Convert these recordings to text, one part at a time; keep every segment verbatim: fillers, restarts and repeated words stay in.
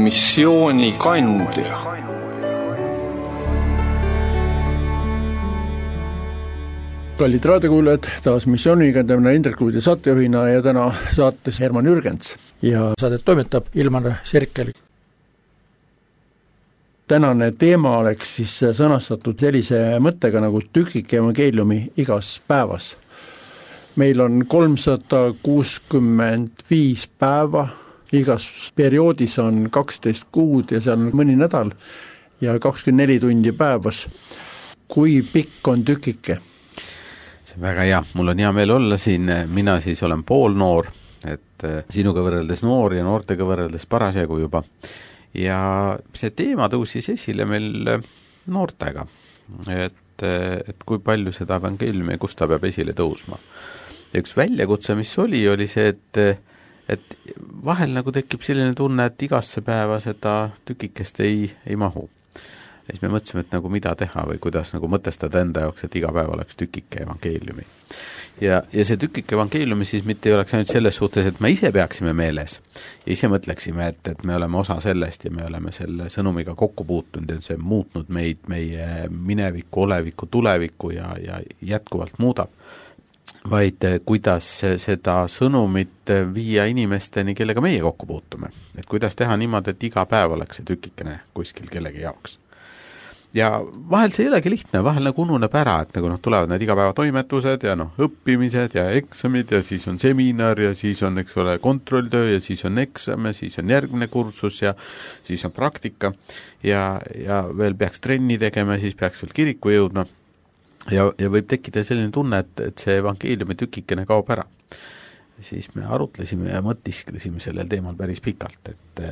missiooni kandja. Kallid raadiokuulajad, taas missiooniga täna Indrek Luudi saatejuhina ja täna saates Herman Jürgens ja saadet toimetab Ilmar Sirkel. Tänane teema oleks siis sõnastatud sellise mõttega nagu tükike evangeeliumi igas päevas. Meil on kolmsada kuuskümmend viis päeva, igas perioodis on kaksteist kuud ja seal on mõni nädal ja kakskümmend neli tundi päevas. Kui pikk on tükike? See on väga hea, mul on hea meel olla siin, mina siis olen poolnoor, et sinuga võrreldes noor ja noortega võrreldes parasjagu juba. Ja see teema tõusis esile meil noortega, et, et kui palju seda evangeeliumi, kus ta peab esile tõusma. Ja üks väljakutse, mis oli, oli see, et, et vahel nagu tekib selline tunne, et igasse päeva seda tükikest ei, ei mahu. Ja siis me mõtlesime, et nagu mida teha või kuidas nagu mõtestada enda jaoks, et iga päev oleks tükike evangeeliumi. Ja, ja see tükike evangeeliumi siis mitte ei oleks ainult selles suhtes, et me ise peaksime meeles ja ise mõtleksime, et, et me oleme osa sellest ja me oleme selle sõnumiga kokku puutunud ja see muutnud meid, meie mineviku, oleviku, tuleviku ja, ja jätkuvalt muudab, vaid kuidas seda sõnumit viia inimesteni, kellega meie kokku puutume. Et kuidas teha niimoodi, et iga päev oleks see tükikene kuskil kellegi jaoks. Ja vahel see ei olegi lihtne, vahel nagu ununeb ära, et nagu noh, tulevad need igapäeva toimetused ja noh, õppimised ja eksamid ja siis on seminar ja siis on, eks ole, kontrolltöö ja siis on eksam ja siis on järgmine kursus ja siis on praktika ja, ja veel peaks trenni tegema ja siis peaks veel kiriku jõudma ja, ja võib tekkida selline tunne, et, et see evangeeliumi tükikene kaob ära. Siis me arutlesime ja mõtisklesime sellel teemal päris pikalt, et,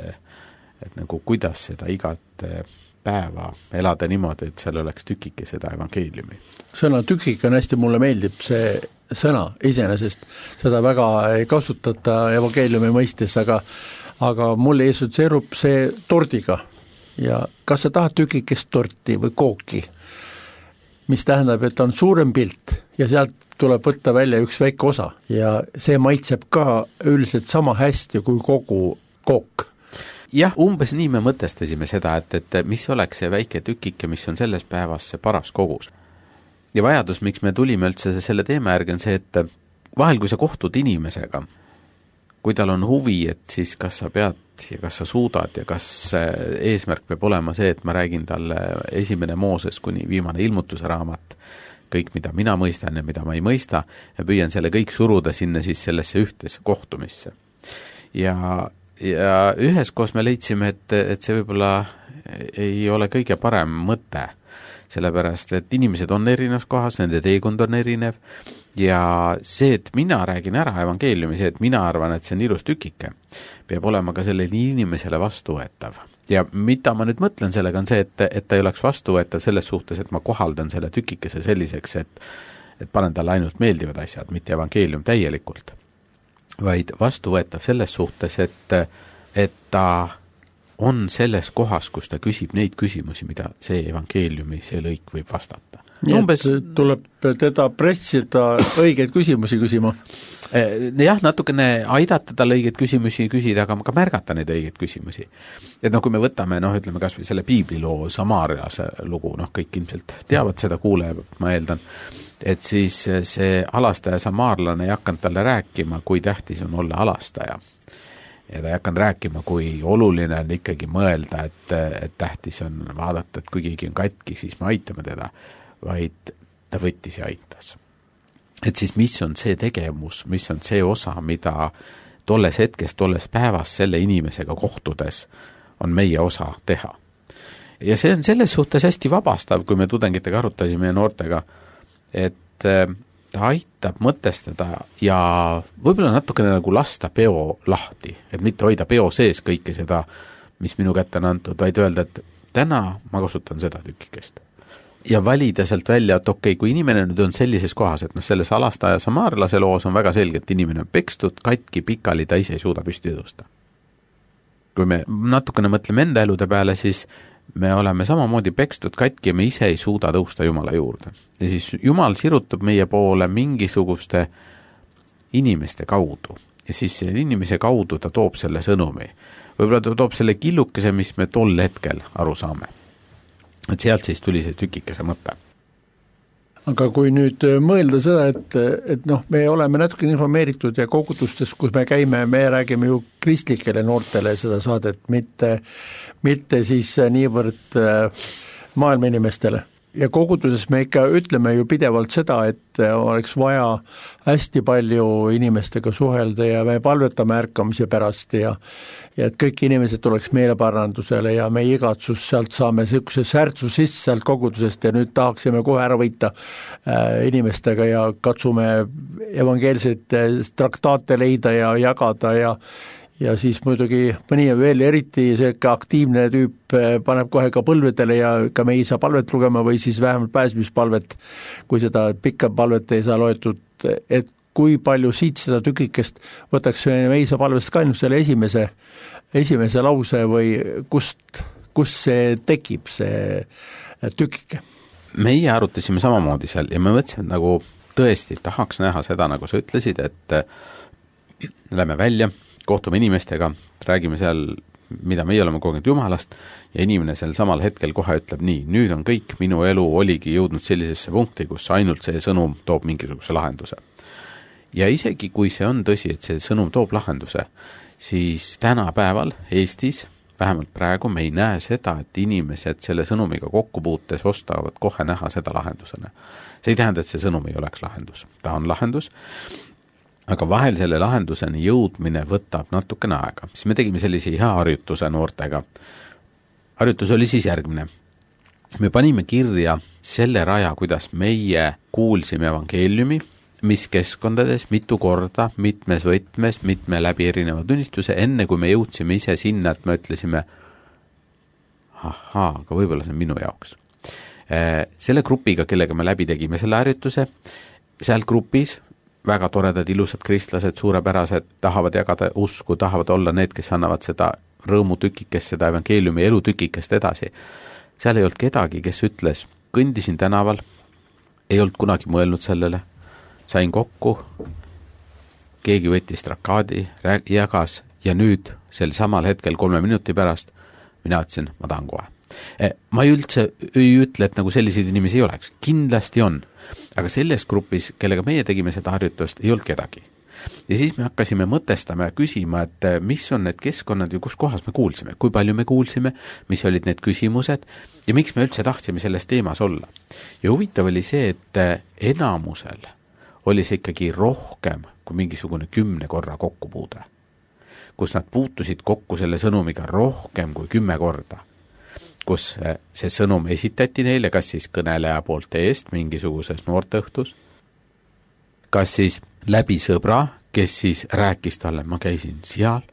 et nagu kuidas seda igat päeva elada niimoodi, et seal oleks tükike seda evangeeliumi. Sõna tükik on hästi, mulle meeldib see sõna iseenesest, seda väga ei kasutata evangeeliumi mõistes, aga, aga mulle assotsieerub see tordiga. Ja kas sa tahad tükikest torti või kooki, mis tähendab, et on suurem pilt ja sealt tuleb võtta välja üks väike osa ja see maitseb ka üldiselt sama hästi kui kogu kook. Jah, umbes nii me mõtestasime seda, et, et mis oleks see väike tükike, mis on selles päevas see paras kogus. Ja vajadus, miks me tulime üldse selle teema järgi, on see, et vahel kui sa kohtud inimesega, kui tal on huvi, et siis kas sa pead ja kas sa suudad ja kas eesmärk peab olema see, et ma räägin talle esimene Mooses kuni viimane ilmutuse raamat, kõik, mida mina mõistan ja mida ma ei mõista, ja püüan selle kõik suruda sinna siis sellesse ühtesse kohtumisse. Ja Ja üheskoos me leidsime, et, et see võib-olla ei ole kõige parem mõte, sellepärast, et inimesed on erinevas kohas, nende teekond on erinev ja see, et mina räägin ära evangeeliumi, see, et mina arvan, et see on ilus tükike, peab olema ka sellele inimesele vastuvõetav. Ja mida ma nüüd mõtlen sellega on see, et, et ta ei oleks vastuvõetav selles suhtes, et ma kohaldan selle tükikese selliseks, et, et panen talle ainult meeldivad asjad, mitte evangeelium täielikult. Vaid vastuvõetav selles suhtes, et, et ta on selles kohas, kus ta küsib neid küsimusi, mida see evangeeliumi, see lõik võib vastata. Nii umbes... tuleb teda pressida õigeid küsimusi küsima? Jah, natukene aidata tal õigeid küsimusi küsida, aga ka märgata neid õigeid küsimusi. Et noh, kui me võtame, noh, ütleme kas või selle piibliloo Samaariase lugu, noh, kõik ilmselt teavad seda, kuuleb, ma eeldan, et siis see alastaja samaarlane ei hakanud talle rääkima, kui tähtis on olla alastaja. Ja ta ei hakanud rääkima, kui oluline on ikkagi mõelda, et, et tähtis on vaadata, et kui keegi on katki, siis me aitame teda, vaid ta võttis ja aitas. Et siis mis on see tegevus, mis on see osa, mida tolles hetkes, tolles päevas selle inimesega kohtudes on meie osa teha. Ja see on selles suhtes hästi vabastav, kui me tudengitega arutasime ja noortega, et ta aitab mõtestada ja võib-olla natukene nagu lasta peo lahti, et mitte hoida peo sees kõike seda, mis minu kätte on antud, vaid öelda, et täna ma kasutan seda tükikest. Ja valida sealt välja, et okei, kui inimene nüüd on sellises kohas, et noh, selles alastaja samaarlase loos on väga selge, et inimene on pekstud, katki, pikali, ta ise ei suuda püsti tõusta. Kui me natukene mõtleme enda elude peale, siis me oleme samamoodi pekstud katki ja me ise ei suuda tõusta Jumala juurde. Ja siis Jumal sirutab meie poole mingisuguste inimeste kaudu. Ja siis inimese kaudu ta toob selle sõnumi. võib-olla ta toob selle killukese, mis me tol hetkel aru saame. Et sealt siis tuli see tükikese mõte. Aga kui nüüd mõelda seda, et, et noh, me oleme natuke informeeritud ja kogudustes, kus me käime, me räägime ju kristlikele noortele seda saadet, mitte, mitte siis niivõrd maailma inimestele. Ja koguduses me ikka ütleme ju pidevalt seda, et oleks vaja hästi palju inimestega suhelda ja me palvetame ärkamise pärast ja, ja et kõik inimesed tuleks meeleparandusele ja me igatsus sealt saame niisuguse särtsu sisse sealt kogudusest ja nüüd tahaksime kohe ära võita äh, inimestega ja katsume evangeelseid traktaate leida ja jagada ja ja siis muidugi mõni veel eriti see aktiivne tüüp paneb kohe ka põlvedele ja ka me ei saa palvet lugema või siis vähemalt pääsmispalvet, kui seda pikka palvet ei saa loetud, et kui palju siit seda tükikest võtaks me ei saa palvest ka ainult selle esimese, esimese lause või kust, kust see tekib, see tükike? Meie arutasime samamoodi seal ja me mõtlesime, et nagu tõesti tahaks näha seda, nagu sa ütlesid, et lähme välja, kohtume inimestega, räägime seal, mida meie oleme kogenud Jumalast ja inimene seal samal hetkel kohe ütleb nii, nüüd on kõik, minu elu oligi jõudnud sellisesse punkti, kus ainult see sõnum toob mingisuguse lahenduse. Ja isegi kui see on tõsi, et see sõnum toob lahenduse, siis tänapäeval Eestis, vähemalt praegu me ei näe seda, et inimesed selle sõnumiga kokkupuutes ostavad kohe näha seda lahendusena. See ei tähenda, et see sõnum ei oleks lahendus. Ta on lahendus, aga vahel selle lahenduseni jõudmine võtab natukene aega. Siis me tegime sellise hea harjutuse noortega. Harjutus oli siis järgmine. Me panime kirja selle raja, kuidas meie kuulsime evangeeliumi, mis keskkondades, mitu korda, mitmes võtmes, mitme läbi erineva tunnistuse, enne kui me jõudsime ise sinna, et me ütlesime, ahaa, aga võib-olla see on minu jaoks. Selle grupiga, kellega me läbi tegime selle harjutuse, seal grupis väga toredad, ilusad kristlased, suurepärased, tahavad jagada usku, tahavad olla need, kes annavad seda rõõmutükikest, seda evangeeliumi elutükikest edasi. Seal ei olnud kedagi, kes ütles, kõndisin tänaval, ei olnud kunagi mõelnud sellele, sain kokku, keegi võttis trakaadi, jagas ja nüüd sel samal hetkel kolme minuti pärast mina ütlesin, ma tahan kohe. Ma ei üldse ei ütle, et nagu selliseid inimesi ei oleks. Kindlasti on. Aga selles grupis, kellega meie tegime seda harjutust, ei olnud kedagi. Ja siis me hakkasime mõtestama ja küsima, et mis on need keskkonnad ja kus kohas me kuulsime, kui palju me kuulsime, mis olid need küsimused ja miks me üldse tahtsime selles teemas olla. Ja huvitav oli see, et enamusel oli see ikkagi rohkem kui mingisugune kümne korra kokkupuude, kus nad puutusid kokku selle sõnumiga rohkem kui kümme korda, kus see sõnum esitati neile, kas siis kõneleja poolt eest mingisuguses noorteõhtus, kas siis läbi sõbra, kes siis rääkis talle, ma käisin seal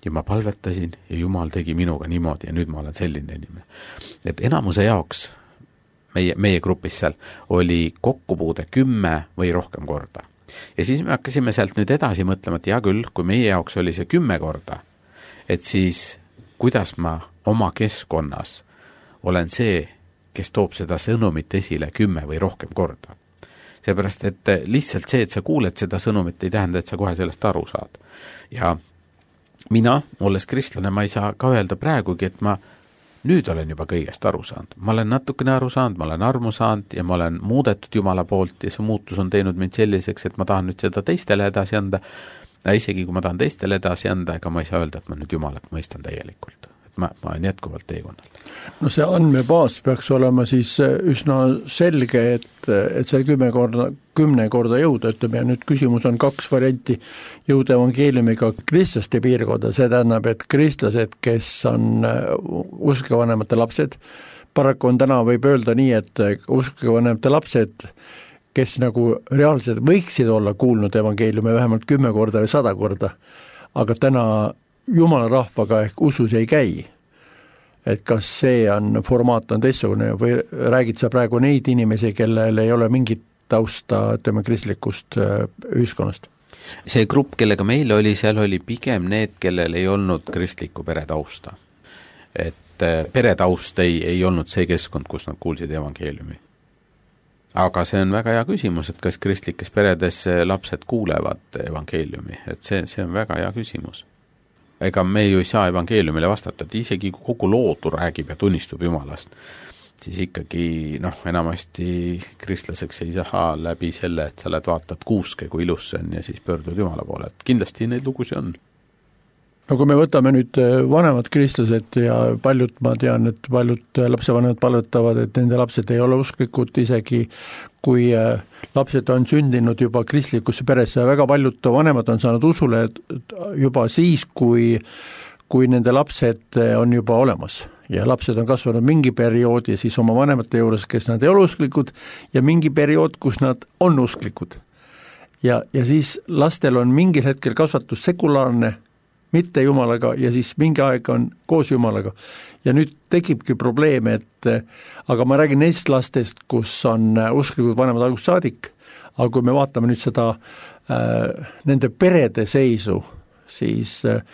ja ma palvetasin ja Jumal tegi minuga niimoodi ja nüüd ma olen selline inimene. Et enamuse jaoks meie, meie grupis seal oli kokkupuude kümme või rohkem korda. Ja siis me hakkasime sealt nüüd edasi mõtlema, et hea küll, kui meie jaoks oli see kümme korda, et siis kuidas ma oma keskkonnas olen see, kes toob seda sõnumit esile kümme või rohkem korda. Seepärast, et lihtsalt see, et sa kuuled seda sõnumit, ei tähenda, et sa kohe sellest aru saad. Ja mina, olles kristlane, ma ei saa ka öelda praegugi, et ma nüüd olen juba kõigest aru saanud. Ma olen natukene aru saanud, ma olen armu saanud ja ma olen muudetud Jumala poolt ja see muutus on teinud mind selliseks, et ma tahan nüüd seda teistele edasi anda. Ja isegi kui ma tahan teistele edasi anda, ega ma ei saa öelda, et ma nüüd Jumalat mõistan täielikult. Ma, ma olen jätkuvalt teekonnal. No see andmebaas peaks olema siis üsna selge, et, et see kümme korda, kümne korda jõuda, ütleme, ja nüüd küsimus on kaks varianti jõuda evangeeliumiga kristlaste piirkonda, see tähendab, et kristlased, kes on uskevanemate lapsed, paraku on täna võib öelda nii, et uskevanemate lapsed, kes nagu reaalselt võiksid olla kuulnud evangeeliumi vähemalt kümme korda või sada korda, aga täna Jumala rahvaga ehk usus ei käi, et kas see on, formaat on teistsugune või räägid sa praegu neid inimesi, kellel ei ole mingit tausta, ütleme, kristlikust ühiskonnast? See grupp, kellega meil oli, seal oli pigem need, kellel ei olnud kristlikku peretausta. Et peretaust ei, ei olnud see keskkond, kus nad kuulsid evangeeliumi. Aga see on väga hea küsimus, et kas kristlikes peredes lapsed kuulevad evangeeliumi, et see, see on väga hea küsimus. ega me ju ei saa evangeeliumile vastata, et isegi kogu loodu räägib ja tunnistub Jumalast, siis ikkagi noh, enamasti kristlaseks ei saa läbi selle, et sa oled vaatad kuuske, kui ilus see on ja siis pöördud Jumala poole, et kindlasti neid lugusi on. No kui me võtame nüüd vanemad kristlased ja paljud, ma tean, et paljud lapsevanemad palvetavad, et nende lapsed ei ole usklikud, isegi kui lapsed on sündinud juba kristlikusse peresse, väga paljud vanemad on saanud usule juba siis, kui, kui nende lapsed on juba olemas ja lapsed on kasvanud mingi perioodi siis oma vanemate juures, kes nad ei ole usklikud ja mingi periood, kus nad on usklikud. Ja, ja siis lastel on mingil hetkel kasvatus sekulaarne, mitte Jumalaga ja siis mingi aeg on koos Jumalaga. Ja nüüd tekibki probleem, et aga ma räägin neist lastest, kus on usklikud vanemad algust saadik, aga kui me vaatame nüüd seda äh, nende perede seisu, siis äh,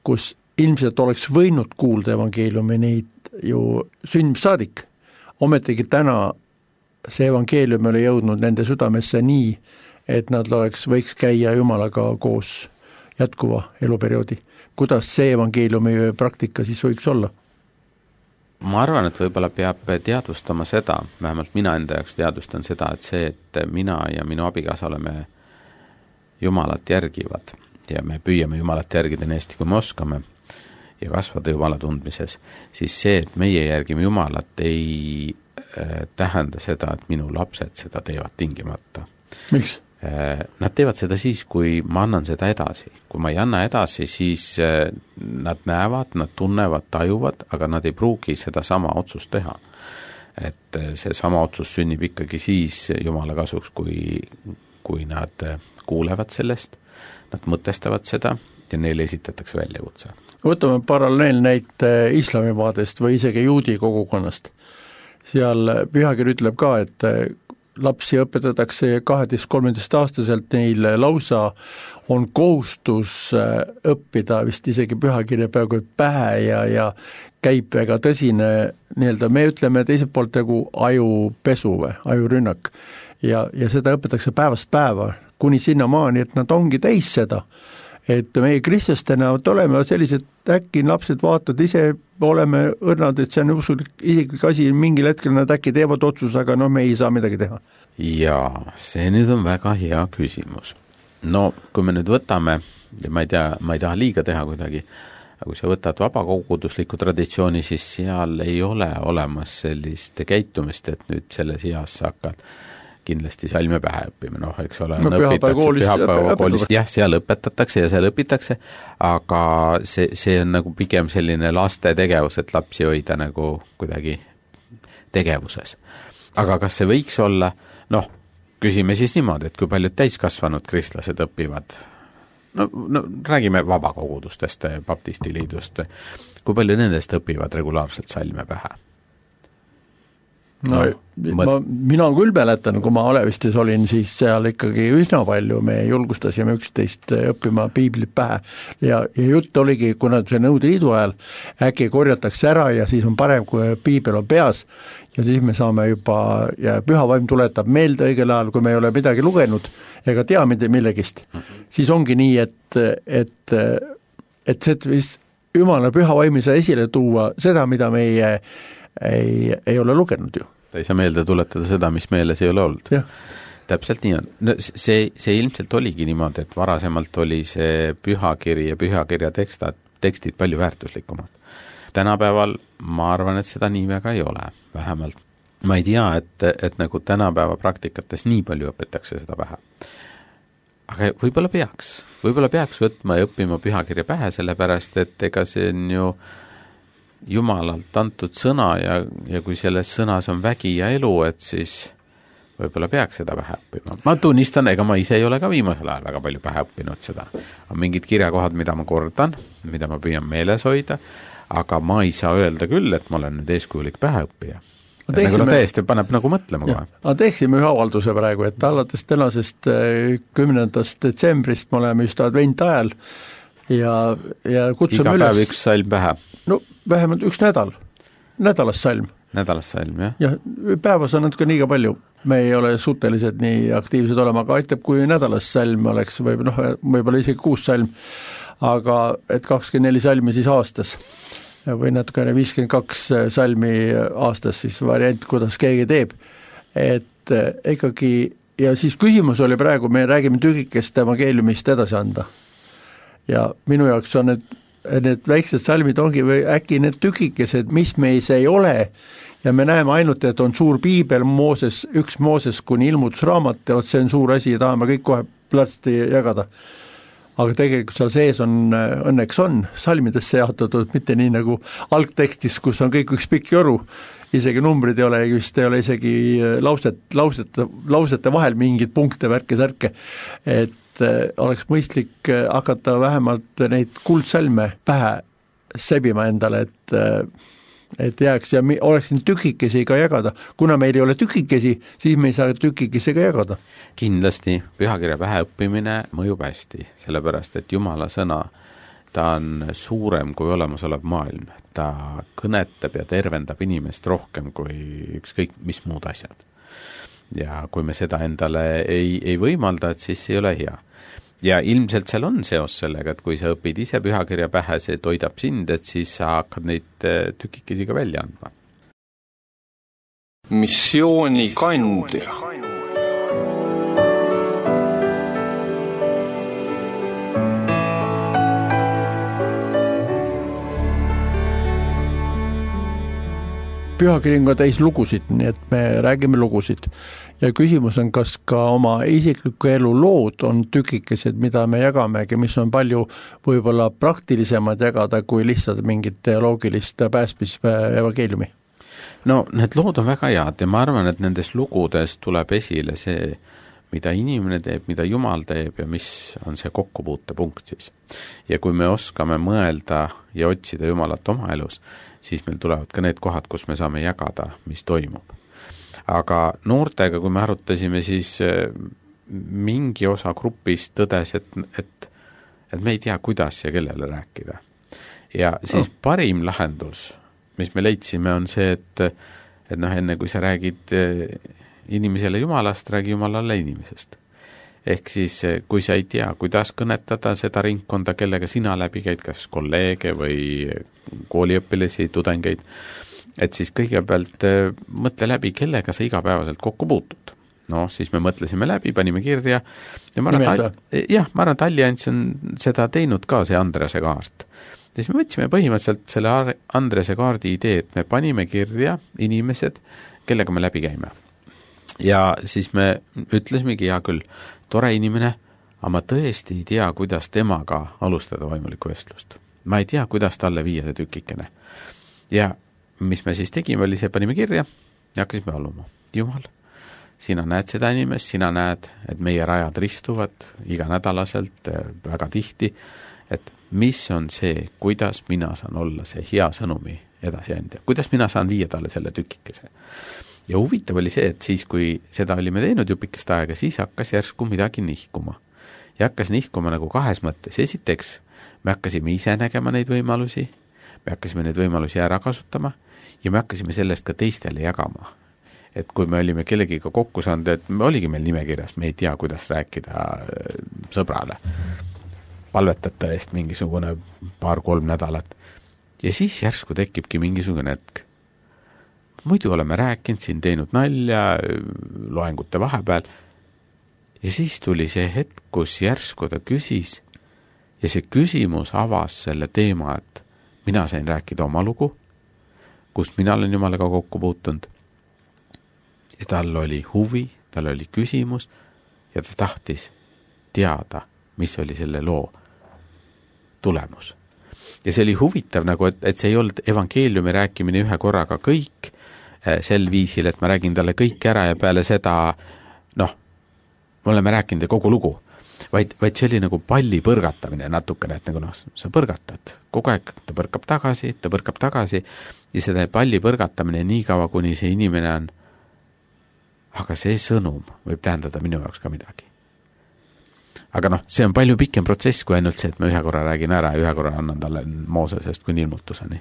kus ilmselt oleks võinud kuulda evangeeliumi neid ju sündmissaadik, ometigi täna see evangeelium oli jõudnud nende südamesse nii, et nad oleks, võiks käia Jumalaga koos jätkuva eluperioodi. Kuidas see evangeeliumi praktika siis võiks olla? Ma arvan, et võib-olla peab teadvustama seda, vähemalt mina enda jaoks teadvustan seda, et see, et mina ja minu abikaasa oleme Jumalat järgivad ja me püüame Jumalat järgida nii hästi, kui me oskame ja kasvada Jumala tundmises, siis see, et meie järgime Jumalat, ei äh, tähenda seda, et minu lapsed seda teevad tingimata. Miks? Nad teevad seda siis, kui ma annan seda edasi. Kui ma ei anna edasi, siis nad näevad, nad tunnevad, tajuvad, aga nad ei pruugi seda sama otsust teha. Et see sama otsus sünnib ikkagi siis Jumala kasuks, kui, kui nad kuulevad sellest, nad mõtestavad seda ja neile esitatakse väljakutse. Võtame paralleelnäite islamimaadest või isegi juudi kogukonnast. Seal pühakiri ütleb ka, et lapsi õpetatakse kaheteist-kolmeteist aastaselt, neil lausa on kohustus õppida vist isegi pühakirja peaaegu pähe ja, ja käib väga tõsine, nii-öelda me ütleme teiselt poolt nagu ajupesu või ajurünnak ja, ja seda õpetatakse päevast päeva kuni sinna maani, et nad ongi täis seda. Et meie kristlastena oleme sellised, äkki lapsed vaatavad ise, oleme õrnad, et see on usulik isiklik asi, mingil hetkel nad äkki teevad otsus, aga no me ei saa midagi teha. Jaa, see nüüd on väga hea küsimus. No kui me nüüd võtame, ja ma ei tea, ma ei taha liiga teha kuidagi, aga kui sa võtad vabakogudusliku traditsiooni, siis seal ei ole olemas sellist käitumist, et nüüd selles eas sa hakkad kindlasti salme pähe õppima, noh, eks ole, no, pühapäeva koolis, jah, seal õpetatakse ja seal õpitakse, aga see, see on nagu pigem selline laste tegevus, et lapsi hoida nagu kuidagi tegevuses. Aga kas see võiks olla, noh, küsime siis niimoodi, et kui paljud täiskasvanud kristlased õpivad, no, no räägime vabakogudustest, baptistiliidust, kui palju nendest õpivad regulaarselt salme pähe? No, no, ma, mina küll mäletan, kui ma Alevistes olin, siis seal ikkagi üsna palju me julgustasime üksteist õppima piiblit pähe ja, ja jutt oligi, kuna see Nõukogude Liidu ajal äkki korjatakse ära ja siis on parem, kui piibel on peas ja siis me saame juba, ja püha vaim tuletab meelde õigel ajal, kui me ei ole midagi lugenud ega tea millegist, mm-hmm. siis ongi nii, et, et, et see Jumala püha vaim ei saa esile tuua seda, mida meie ei, ei ole lugenud ju. Ta ei saa meelde tuletada seda, mis meeles ei ole olnud. Ja. Täpselt nii on. No, see, see ilmselt oligi niimoodi, et varasemalt oli see pühakiri ja pühakirja tekstad, tekstid palju väärtuslikumad. Tänapäeval ma arvan, et seda nii väga ei ole, vähemalt. Ma ei tea, et, et nagu tänapäeva praktikates nii palju õpetakse seda pähe. Aga võib-olla peaks. Võib-olla peaks võtma ja õppima pühakirja pähe, sellepärast, et ega see on ju Jumalalt antud sõna ja, ja kui selles sõnas on vägi ja elu, et siis võib-olla peaks seda pähe õppima. Ma tunnistan, ega ma ise ei ole ka viimasel ajal väga palju pähe õppinud seda. On mingid kirjakohad, mida ma kordan, mida ma püüan meeles hoida, aga ma ei saa öelda küll, et ma olen nüüd eeskujulik pähe õppija. Teeksime, nagu no täiesti paneb nagu mõtlema kohe. Aga teeksime ühe avalduse praegu, et alates tänasest kümnendast detsembrist me oleme just advent ajal ja, ja kutsume iga üles. Päev üks salm pähe. No vähemalt üks nädal, nädalas salm. Nädalas salm, jah. Ja päevas on natuke liiga palju, me ei ole suutelised nii aktiivsed olema, aga aitab, kui nädalas salm oleks või noh, võib-olla isegi kuus salm. aga et kakskümmend neli salmi siis aastas või natukene viiskümmend kaks salmi aastas siis variant, kuidas keegi teeb, et ikkagi, ja siis küsimus oli praegu, me räägime tükikest evangeeliumist edasi anda ja minu jaoks on need, need väiksed salmid ongi või äkki need tükikesed, mis meis ei ole ja me näeme ainult, et on suur piibel, Mooses, üks Mooses kuni ilmutusraamat ja see on suur asi ja tahame kõik kohe platsti jagada. Aga tegelikult seal sees on, õnneks on salmidesse jaotatud, mitte nii nagu algtekstis, kus on kõik üks pikk joru, isegi numbrid ei ole, vist ei ole isegi lauset, lausete, lausete vahel mingid punkte, värke, särke, et oleks mõistlik hakata vähemalt neid kuldsalme pähe sebima endale, et et jääks ja oleks siin tükikesi ka jagada. Kuna meil ei ole tükikesi, siis me ei saa tükikesi ka jagada. Kindlasti pühakirja pähe õppimine mõjub hästi, sellepärast et Jumala sõna, ta on suurem kui olemasolev maailm. Ta kõnetab ja tervendab inimest rohkem kui ükskõik mis muud asjad. Ja kui me seda endale ei, ei võimalda, et siis ei ole hea. Ja ilmselt seal on seos sellega, et kui sa õpid ise pühakirja pähe, see toidab sind, et siis sa hakkad neid tükikesi ka välja andma. Missiooni kandja. Pühakiri on ka täis lugusid, nii et me räägime lugusid. Ja küsimus on, kas ka oma isikliku elu lood on tükikesed, mida me jagamegi, mis on palju võib-olla praktilisemad jagada kui lihtsalt mingit teoloogilist pääsmis evangeeliumi. No need lood on väga head ja ma arvan, et nendes lugudes tuleb esile see, mida inimene teeb, mida Jumal teeb ja mis on see kokkupuutepunkt siis. Ja kui me oskame mõelda ja otsida Jumalat oma elus, siis meil tulevad ka need kohad, kus me saame jagada, mis toimub. Aga noortega, kui me arutasime, siis mingi osa grupist tõdes, et, et, et me ei tea, kuidas ja kellele rääkida. Ja siis oh. parim lahendus, mis me leidsime, on see, et, et noh, enne kui sa räägid inimesele Jumalast, räägi Jumalale inimesest. Ehk siis, kui sa ei tea, kuidas kõnetada seda ringkonda, kellega sina läbi käid, kas kolleege või kooliõpilasi, tudengeid, et siis kõigepealt mõtle läbi, kellega sa igapäevaselt kokku puutud. No, siis me mõtlesime läbi, panime kirja. Ja ma arvan, et, jah, ma arvan, et Allianss on seda teinud ka, see Andrese kaart. Ja siis me võtsime põhimõtteliselt selle Andrese kaardi idee, et me panime kirja inimesed, kellega me läbi käime. Ja siis me ütlesimegi, hea küll, tore inimene, aga ma tõesti ei tea, kuidas temaga alustada vaimulikku vestlust. Ma ei tea, kuidas talle viia see tükikene. Ja mis me siis tegime, oli see, panime kirja ja hakkasime paluma. Jumal, sina näed seda inimest, sina näed, et meie rajad ristuvad iganädalaselt väga tihti, et mis on see, kuidas mina saan olla see hea sõnumi edasiandja, kuidas mina saan viia talle selle tükikese. Ja huvitav oli see, et siis, kui seda olime teinud jupikest aega, siis hakkas järsku midagi nihkuma. Ja hakkas nihkuma nagu kahes mõttes. Esiteks, me hakkasime ise nägema neid võimalusi, me hakkasime neid võimalusi ära kasutama ja me hakkasime sellest ka teistele jagama. Et kui me olime kellegiga kokku saanud, et me oligi meil nimekirjas, me ei tea, kuidas rääkida sõbrale. Palvetada eest mingisugune paar-kolm nädalat. Ja siis järsku tekibki mingisugune hetk. Muidu oleme rääkinud, siin teinud nalja, loengute vahepeal. Ja siis tuli see hetk, kus järsku ta küsis ja see küsimus avas selle teema, et mina sain rääkida oma lugu, kust mina olen Jumalaga kokku puutunud. Ja tal oli huvi, tal oli küsimus ja ta tahtis teada, mis oli selle loo tulemus. Ja see oli huvitav, nagu, et, et see ei olnud evangeeliumi rääkimine ühe korraga kõik sel viisil, et ma räägin talle kõik ära ja peale seda, noh, me oleme rääkinud kogu lugu, vaid, vaid see oli nagu palli põrgatamine natukene, et nagu noh, sa põrgatad kogu aeg, ta põrkab tagasi, ta põrkab tagasi ja seda palli põrgatamine nii kaua, kuni see inimene on, aga see sõnum võib tähendada minu jaoks ka midagi. Aga noh, see on palju pikem protsess kui ainult see, et ma ühe korra räägin ära ja ühe korra annan talle Moosesest kuni ilmutuseni.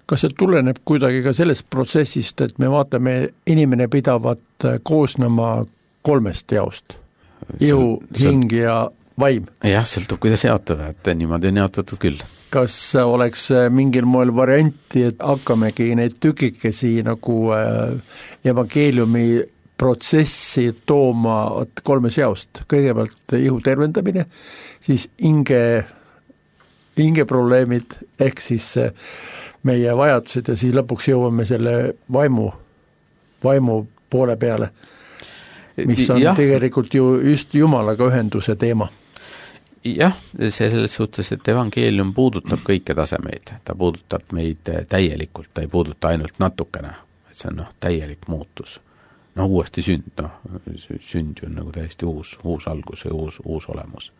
Kas see tuleneb kuidagi ka sellest protsessist, et me vaatame, inimene pidavat koosnema kolmest jaost? Ihu, hing ja vaim. Jah, sõltub, kuidas jaotada, et niimoodi on jaotatud küll. Kas oleks mingil moel varianti, et hakkamegi neid tükikesi nagu evangeeliumi protsessi tooma kolme seost? Kõigepealt ihu tervendamine, siis hinge, hinge probleemid ehk siis meie vajadused ja siis lõpuks jõuame selle vaimu, vaimu poole peale, mis on ja. tegelikult ju just Jumalaga ühenduse teema. Jah, selles suhtes, et evangeelium puudutab kõike tasemeid, ta puudutab meid täielikult, ta ei puuduta ainult natukene, et see on noh, täielik muutus. No uuesti sünd, noh, sünd on nagu täiesti uus, uus algus ja uus, uus olemus.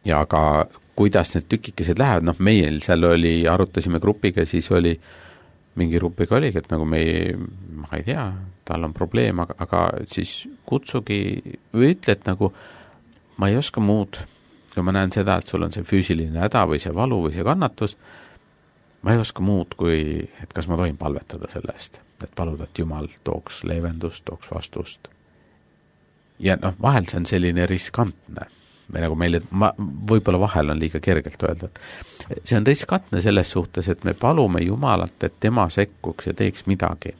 Ja aga kuidas need tükikesed lähevad, noh, meil seal oli, arutasime grupiga, siis oli, mingi grupiga oligi, et nagu me ei, ma ei tea, tal on probleem, aga, aga siis kutsugi või ütle, et nagu ma ei oska muud, kui ma näen seda, et sul on see füüsiline häda või see valu või see kannatus, ma ei oska muud kui, et kas ma tohin palvetada selle eest, et paluda, et Jumal tooks leevendust, tooks vastust. Ja noh, vahel see on selline riskantne, või nagu meile, ma, võib-olla vahel on liiga kergelt öelda, et see on riskantne selles suhtes, et me palume Jumalat, et tema sekkuks ja teeks midagi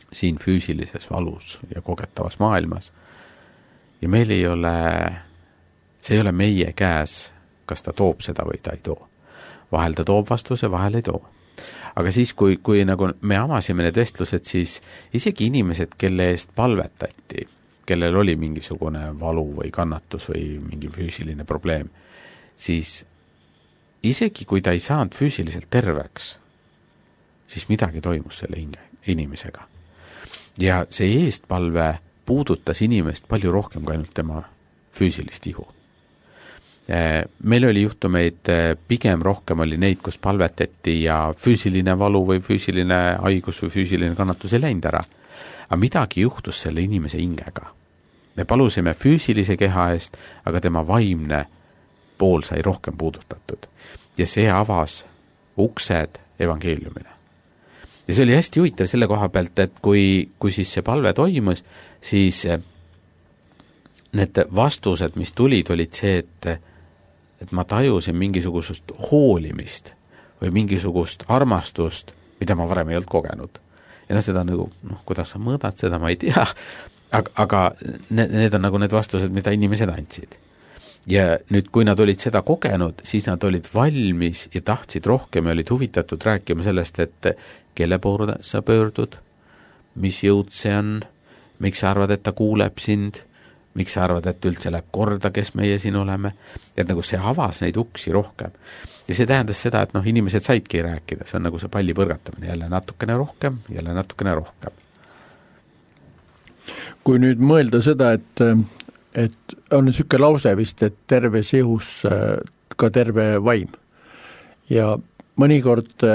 siin füüsilises valus ja kogetavas maailmas. Ja meil ei ole see ei ole meie käes, kas ta toob seda või ta ei too. Vahel ta toob vastuse, vahel ei too. Aga siis, kui, kui nagu me avasime need vestlused, siis isegi inimesed, kelle eest palvetati, kellel oli mingisugune valu või kannatus või mingi füüsiline probleem, siis isegi kui ta ei saanud füüsiliselt terveks, siis midagi toimus selle inimesega. Ja see eestpalve puudutas inimest palju rohkem kui ainult tema füüsilist ihu. Meil oli juhtumeid, pigem rohkem oli neid, kus palvetati ja füüsiline valu või füüsiline haigus või füüsiline kannatus ei läinud ära. Aga midagi juhtus selle inimese hingega. Me palusime füüsilise keha eest, aga tema vaimne pool sai rohkem puudutatud. Ja see avas uksed evangeeliumile. Ja see oli hästi huvitav selle koha pealt, et kui, kui siis see palve toimus, siis need vastused, mis tulid, olid see, et et ma tajusin mingisugust hoolimist või mingisugust armastust, mida ma varem ei olnud kogenud. Ja no seda nagu, noh, kuidas sa mõõdad seda, ma ei tea, aga, aga need, need on nagu need vastused, mida inimesed andsid. Ja nüüd, kui nad olid seda kogenud, siis nad olid valmis ja tahtsid rohkem ja olid huvitatud rääkima sellest, et kelle poole sa pöördud, mis jõud see on, miks sa arvad, et ta kuuleb sind, miks sa arvad, et üldse läheb korda, kes meie siin oleme, et nagu see avas neid uksi rohkem. Ja see tähendas seda, et noh, inimesed saidki rääkida, see on nagu see palli põrgatamine, jälle natukene rohkem, jälle natukene rohkem. Kui nüüd mõelda seda, et, et on niisugune lause vist, et terves ihus ka terve vaim. Ja mõnikord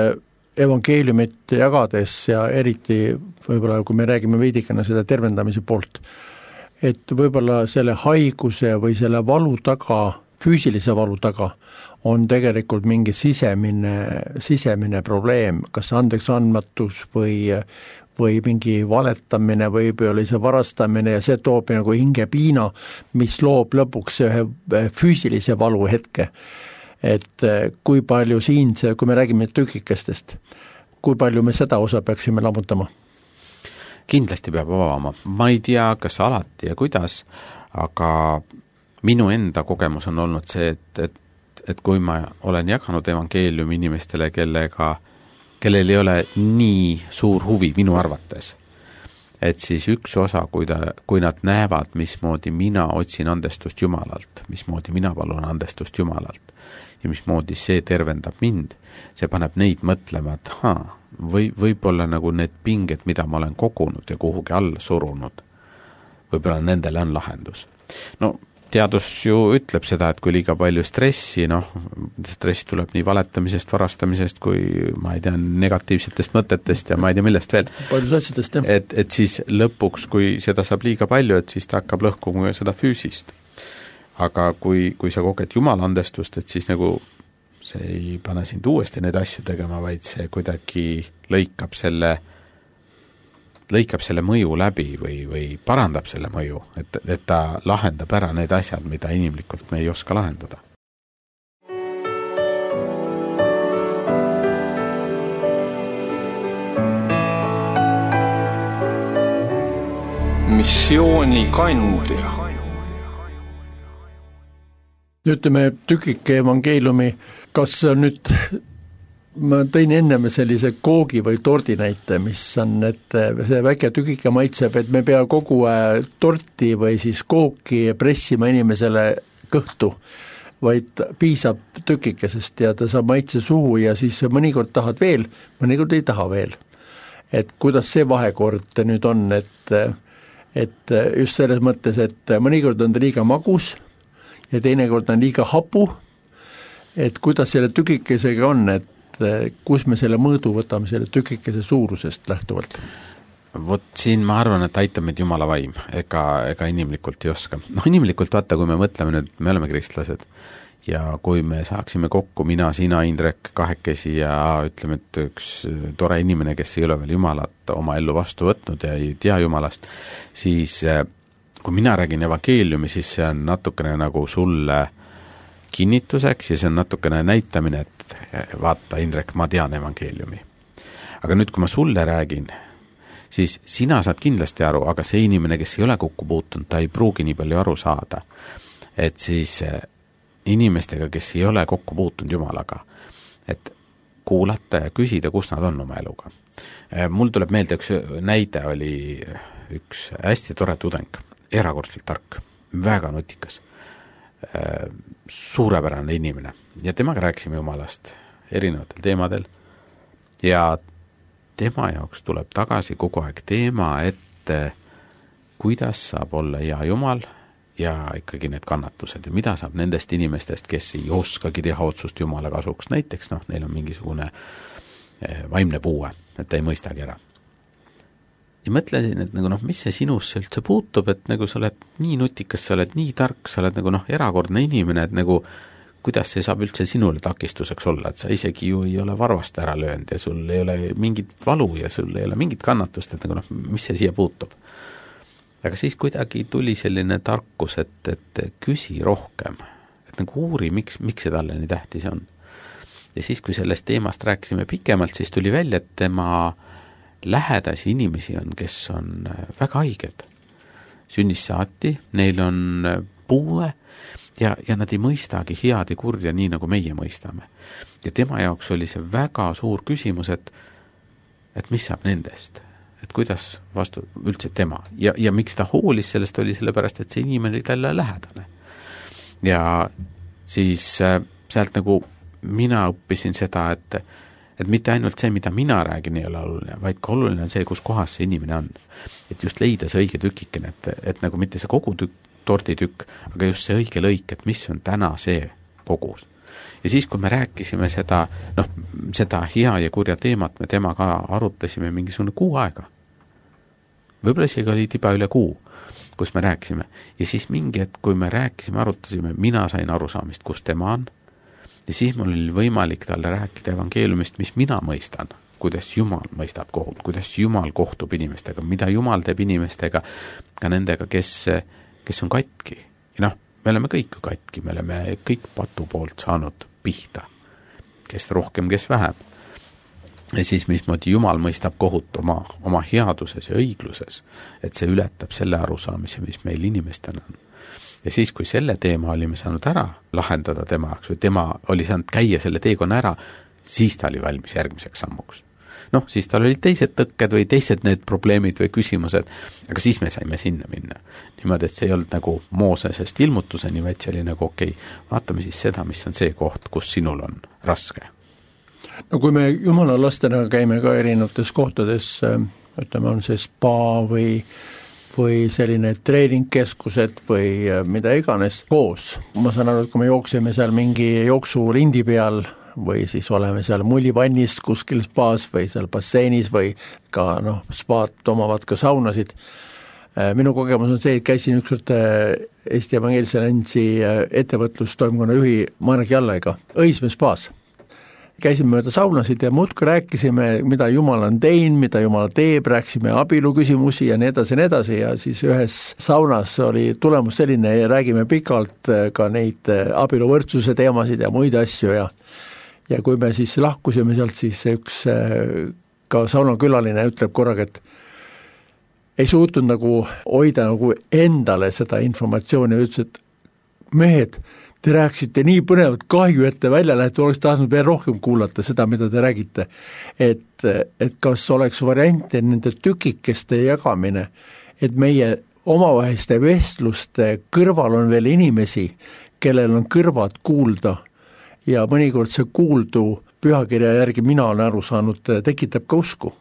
evangeeliumit jagades ja eriti võib-olla, kui me räägime veidikene seda tervendamise poolt, et võib-olla selle haiguse või selle valu taga, füüsilise valu taga on tegelikult mingi sisemine, sisemine probleem, kas andeks andmatus või, või mingi valetamine või oli see varastamine ja see toob nagu hingepiina, mis loob lõpuks ühe füüsilise valu hetke. Et kui palju siin see, kui me räägime tükikestest, kui palju me seda osa peaksime lammutama? Kindlasti peab avama. Ma ei tea, kas alati ja kuidas, aga minu enda kogemus on olnud see, et, et, et kui ma olen jaganud evangeeliumi inimestele, kellega, kellel ei ole nii suur huvi minu arvates, et siis üks osa, kui, ta, kui nad näevad, mismoodi mina otsin andestust Jumalalt, mismoodi mina palun andestust Jumalalt ja mismoodi see tervendab mind, see paneb neid mõtlema, et haa, või võib-olla nagu need pinged, mida ma olen kogunud ja kuhugi alla surunud, võib-olla nendele on lahendus. No teadus ju ütleb seda, et kui liiga palju stressi, noh, stress tuleb nii valetamisest, varastamisest, kui ma ei tea, negatiivsetest mõtetest ja ma ei tea millest veel. Paljus asjadest, jah. Et, et siis lõpuks, kui seda saab liiga palju, et siis ta hakkab lõhkuma seda füüsist. Aga kui, kui sa koged Jumala andestust, et siis nagu see ei pane sind uuesti neid asju tegema, vaid see kuidagi lõikab selle lõikab selle mõju läbi või, või parandab selle mõju, et, et ta lahendab ära need asjad, mida inimlikult me ei oska lahendada. Missioonikandja. Ütleme tükike evangeeliumi, kas on nüüd, ma tõin enneme sellise koogi või tordi näite, mis on, et see väike tükike maitseb, et me pea kogu torti või siis kooki pressima inimesele kõhtu, vaid piisab tükikesest ja ta saab maitse suhu ja siis mõnikord tahad veel, mõnikord ei taha veel. Et kuidas see vahekord nüüd on, et et just selles mõttes, et mõnikord on ta liiga magus ja teinekord on liiga hapu, et kuidas selle tükikesega on, et kus me selle mõõdu võtame selle tükikese suurusest lähtuvalt? Vot siin ma arvan, et aitab meid Jumala vaim, ega, ega inimlikult ei oska. No inimlikult vaata, kui me mõtleme nüüd, me oleme kristlased ja kui me saaksime kokku, mina, sina, Indrek, kahekesi ja ütleme, et üks tore inimene, kes ei ole veel Jumalat oma ellu vastu võtnud ja ei tea Jumalast, siis kui mina räägin evangeeliumi, siis see on natukene nagu sulle kinnituseks ja see on natukene näitamine, et vaata, Indrek, ma tean evangeeliumi. Aga nüüd, kui ma sulle räägin, siis sina saad kindlasti aru, aga see inimene, kes ei ole kokku puutunud, ta ei pruugi nii palju aru saada. Et siis inimestega, kes ei ole kokku puutunud Jumalaga, et kuulata ja küsida, kus nad on oma eluga. Mul tuleb meelde, üks näide oli üks hästi tore tudeng, erakordselt tark, väga nutikas, suurepärane inimene ja temaga rääkisime Jumalast erinevatel teemadel ja tema jaoks tuleb tagasi kogu aeg teema, et kuidas saab olla hea Jumal ja ikkagi need kannatused ja mida saab nendest inimestest, kes ei oskagi teha otsust Jumala kasuks, näiteks noh, neil on mingisugune vaimne puue, et ta ei mõistagi ära. Ja mõtlesin, et nagu noh, mis see sinusse üldse puutub, et nagu sa oled nii nutikas, sa oled nii tark, sa oled nagu noh, erakordne inimene, et nagu kuidas see saab üldse sinule takistuseks olla, et sa isegi ju ei ole varvast ära löönud ja sul ei ole mingit valu ja sul ei ole mingit kannatust, et nagu noh, mis see siia puutub. Aga siis kuidagi tuli selline tarkus, et, et küsi rohkem, et nagu uuri, miks, miks see talle nii tähtis on. Ja siis, kui sellest teemast rääkisime pikemalt, siis tuli välja, et tema lähedasi inimesi on, kes on väga haiged. Sünnis saati, neil on puue ja, ja nad ei mõistagi head ja kurja nii, nagu meie mõistame. Ja tema jaoks oli see väga suur küsimus, et, et mis saab nendest? Et kuidas vastu üldse tema ja, ja miks ta hoolis sellest oli sellepärast, et see inimene oli talle lähedane. Ja siis äh, sealt nagu mina õppisin seda, et, et mitte ainult see, mida mina räägin, ei ole oluline, vaid ka oluline on see, kus kohas see inimene on. Et just leida see õige tükikene, et, et nagu mitte see kogu tükk, torditükk, aga just see õige lõik, et mis on täna see kogus. Ja siis, kui me rääkisime seda, noh, seda hea ja kurja teemat, me temaga arutasime mingisugune kuu aega. Võib-olla isegi oli tiba üle kuu, kus me rääkisime. Ja siis mingi, et kui me rääkisime, arutasime, mina sain arusaamist, kus tema on. Ja siis mul oli võimalik talle rääkida evangeeliumist, mis mina mõistan, kuidas Jumal mõistab kohut, kuidas Jumal kohtub inimestega, mida Jumal teeb inimestega, ka nendega, kes, kes on katki. Ja noh, me oleme kõik katki, me oleme kõik patu poolt saanud pihta, kes rohkem, kes vähem. Ja siis mismoodi Jumal mõistab kohut oma, oma headuses ja õigluses, et see ületab selle arusaamise, mis meil inimestena on. Ja siis, kui selle teema olime saanud ära lahendada tema jaoks, või tema oli saanud käia selle teekonna ära, siis ta oli valmis järgmiseks sammuks. Noh, siis tal olid teised tõkked või teised need probleemid või küsimused, aga siis me saime sinna minna. Niimoodi, et see ei olnud nagu Moosesest ilmutuseni, vaid see oli nagu okei, okay, vaatame siis seda, mis on see koht, kus sinul on raske. No kui me Jumala lastena käime ka erinevates kohtades, ütleme, on see spa või, või selline treeningkeskused või mida iganes koos. Ma saan aru, et kui me jookseme seal mingi jooksurindi peal või siis oleme seal mullivannist kuskil spaas või seal basseinis või ka noh, spaad omavad ka saunasid. Minu kogemus on see, et käisin ükskord Eesti Evangeelse Alliansi ettevõtlustoimkonna juhi Marek Jallega Õismäe spaas. käisime mööda saunasid ja muudkui rääkisime, mida Jumal on teinud, mida Jumal teeb, rääkisime abielu küsimusi ja nii edasi ja nii edasi ja siis ühes saunas oli tulemus selline ja räägime pikalt ka neid abieluvõrdsuse teemasid ja muid asju ja ja kui me siis lahkusime sealt, siis üks ka saunakülaline ütleb korraga, et ei suutnud nagu hoida nagu endale seda informatsiooni ja ütles, et mehed, te rääkisite nii põnevat, kahju, et te välja lähete, oleks tahtnud veel rohkem kuulata seda, mida te räägite. Et, et kas oleks variante nende tükikeste jagamine, et meie omavaheliste vestluste kõrval on veel inimesi, kellel on kõrvad kuulda ja mõnikord see kuuldu pühakirja järgi mina olen aru saanud, tekitab ka usku.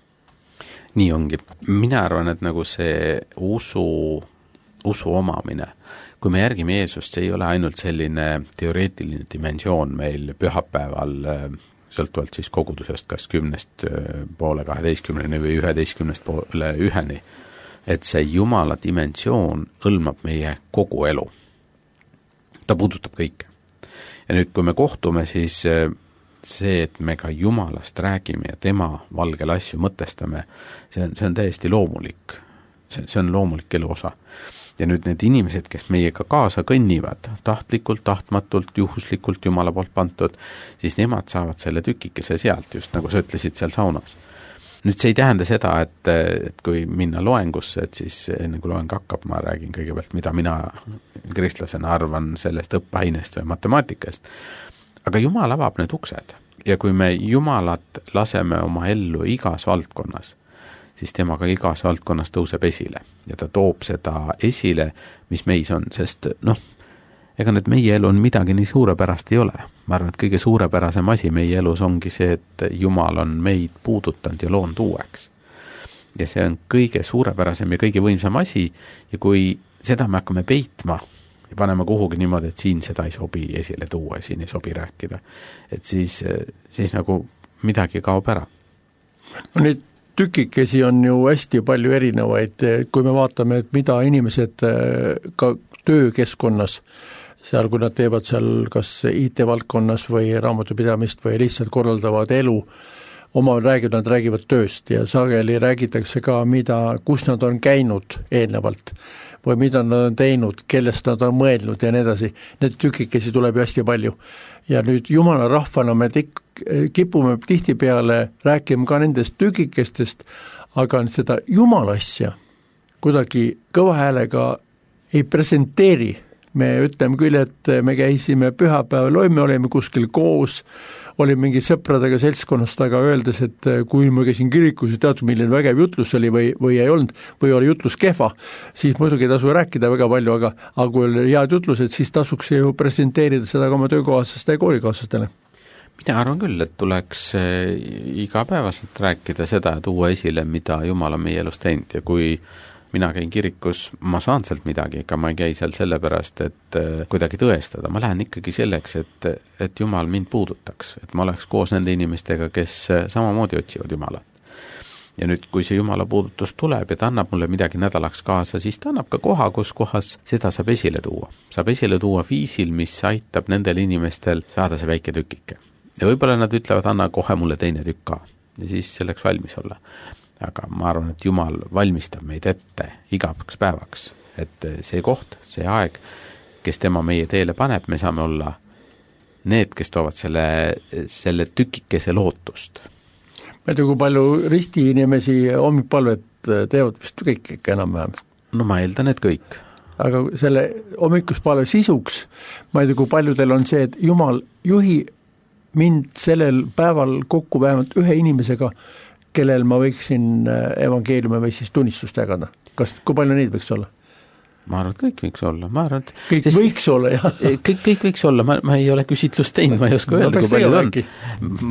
Nii ongi. Mina arvan, et nagu see usu, usu omamine, kui me järgime Jeesust, see ei ole ainult selline teoreetiline dimensioon meil pühapäeval, sõltuvalt siis kogudusest, kas kümnest poole kaheteistkümneni või üheteistkümnest poole üheni, et see Jumala dimensioon hõlmab meie kogu elu. Ta puudutab kõike. Ja nüüd, kui me kohtume, siis see, et me ka Jumalast räägime ja tema valgel asju mõtestame, see on, see on täiesti loomulik. See, see on loomulik elu osa. Ja nüüd need inimesed, kes meiega kaasa kõnnivad, tahtlikult, tahtmatult, juhuslikult Jumala poolt pantud, siis nemad saavad selle tükikese sealt, just nagu sa ütlesid seal saunas. Nüüd see ei tähenda seda, et, et kui minna loengusse, et siis enne kui loeng hakkab, ma räägin kõigepealt, mida mina kristlasena arvan sellest õppeainest või matemaatikast. Aga Jumal avab need uksed ja kui me Jumalat laseme oma ellu igas valdkonnas, siis temaga igas valdkonnas tõuseb esile ja ta toob seda esile, mis meis on, sest noh, ega nüüd meie elu on midagi nii suurepärast ei ole. Ma arvan, et kõige suurepärasem asi meie elus ongi see, et Jumal on meid puudutanud ja loonud uueks. Ja see on kõige suurepärasem ja kõige võimsam asi ja kui seda me hakkame peitma ja panema kuhugi niimoodi, et siin seda ei sobi esile tuua, siin ei sobi rääkida, et siis, siis nagu midagi kaob ära. No nüüd tükikesi on ju hästi palju erinevaid, kui me vaatame, et mida inimesed ka töökeskkonnas, seal kui nad teevad seal kas I T-valdkonnas või raamatupidamist või lihtsalt korraldavad elu, oma räägivad, nad räägivad tööst ja sageli räägitakse ka, mida, kus nad on käinud eelnevalt või mida nad on teinud, kellest nad on mõelnud ja nii edasi. Need tükikesi tuleb ju hästi palju. Ja nüüd Jumala rahvana me tik, kipume tihtipeale rääkima ka nendest tükikestest, aga seda Jumala asja kuidagi kõva häälega ei presenteeri. Me ütleme küll, et me käisime pühapäeval, me olime kuskil koos, oli mingi sõpradega seltskonnast, aga öeldes, et kui ma käisin kirikus ja teatud milline vägev jutlus oli või, või ei olnud, või oli jutlus kehva, siis muidugi ei tasu rääkida väga palju, aga, aga kui oli head jutlused, siis tasuks ju presenteerida seda ka oma töökohasest ja koolikaaslastele. Mina arvan küll, et tuleks igapäevaselt rääkida seda ja tuua esile, mida Jumal on meie elus teinud ja kui mina käin kirikus, ma saan sealt midagi, ega ma ei käi seal sellepärast, et kuidagi tõestada. Ma lähen ikkagi selleks, et, et Jumal mind puudutaks, et ma oleks koos nende inimestega, kes samamoodi otsivad Jumalat. Ja nüüd, kui see Jumala puudutus tuleb ja ta annab mulle midagi nädalaks kaasa, siis ta annab ka koha, kus kohas seda saab esile tuua. Saab esile tuua viisil, mis aitab nendel inimestel saada see väike tükike. Ja võib-olla nad ütlevad, anna kohe mulle teine tükk ka ja siis selleks valmis olla. Aga ma arvan, et Jumal valmistab meid ette igaks päevaks, et see koht, see aeg, kes tema meie teele paneb, me saame olla need, kes toovad selle, selle tükikese lootust. Ma ei tea, kui palju risti inimesi hommikpalvet teevad vist kõik ikka enam-vähem? No ma eeldan, et kõik. Aga selle hommikuspalve sisuks, ma ei tea, kui palju teil on see, et Jumal juhi mind sellel päeval kokku vähemalt ühe inimesega, kellel ma võiksin evangeeliumi või siis tunnistust jagada. Kas, kui palju neid võiks olla? Ma arvan, et kõik võiks olla. Ma arvan, et kõik sest, võiks olla, jah. Kõik, kõik võiks olla. Ma, ma ei ole küsitlust teinud, ma ei oska öelda, kui palju on.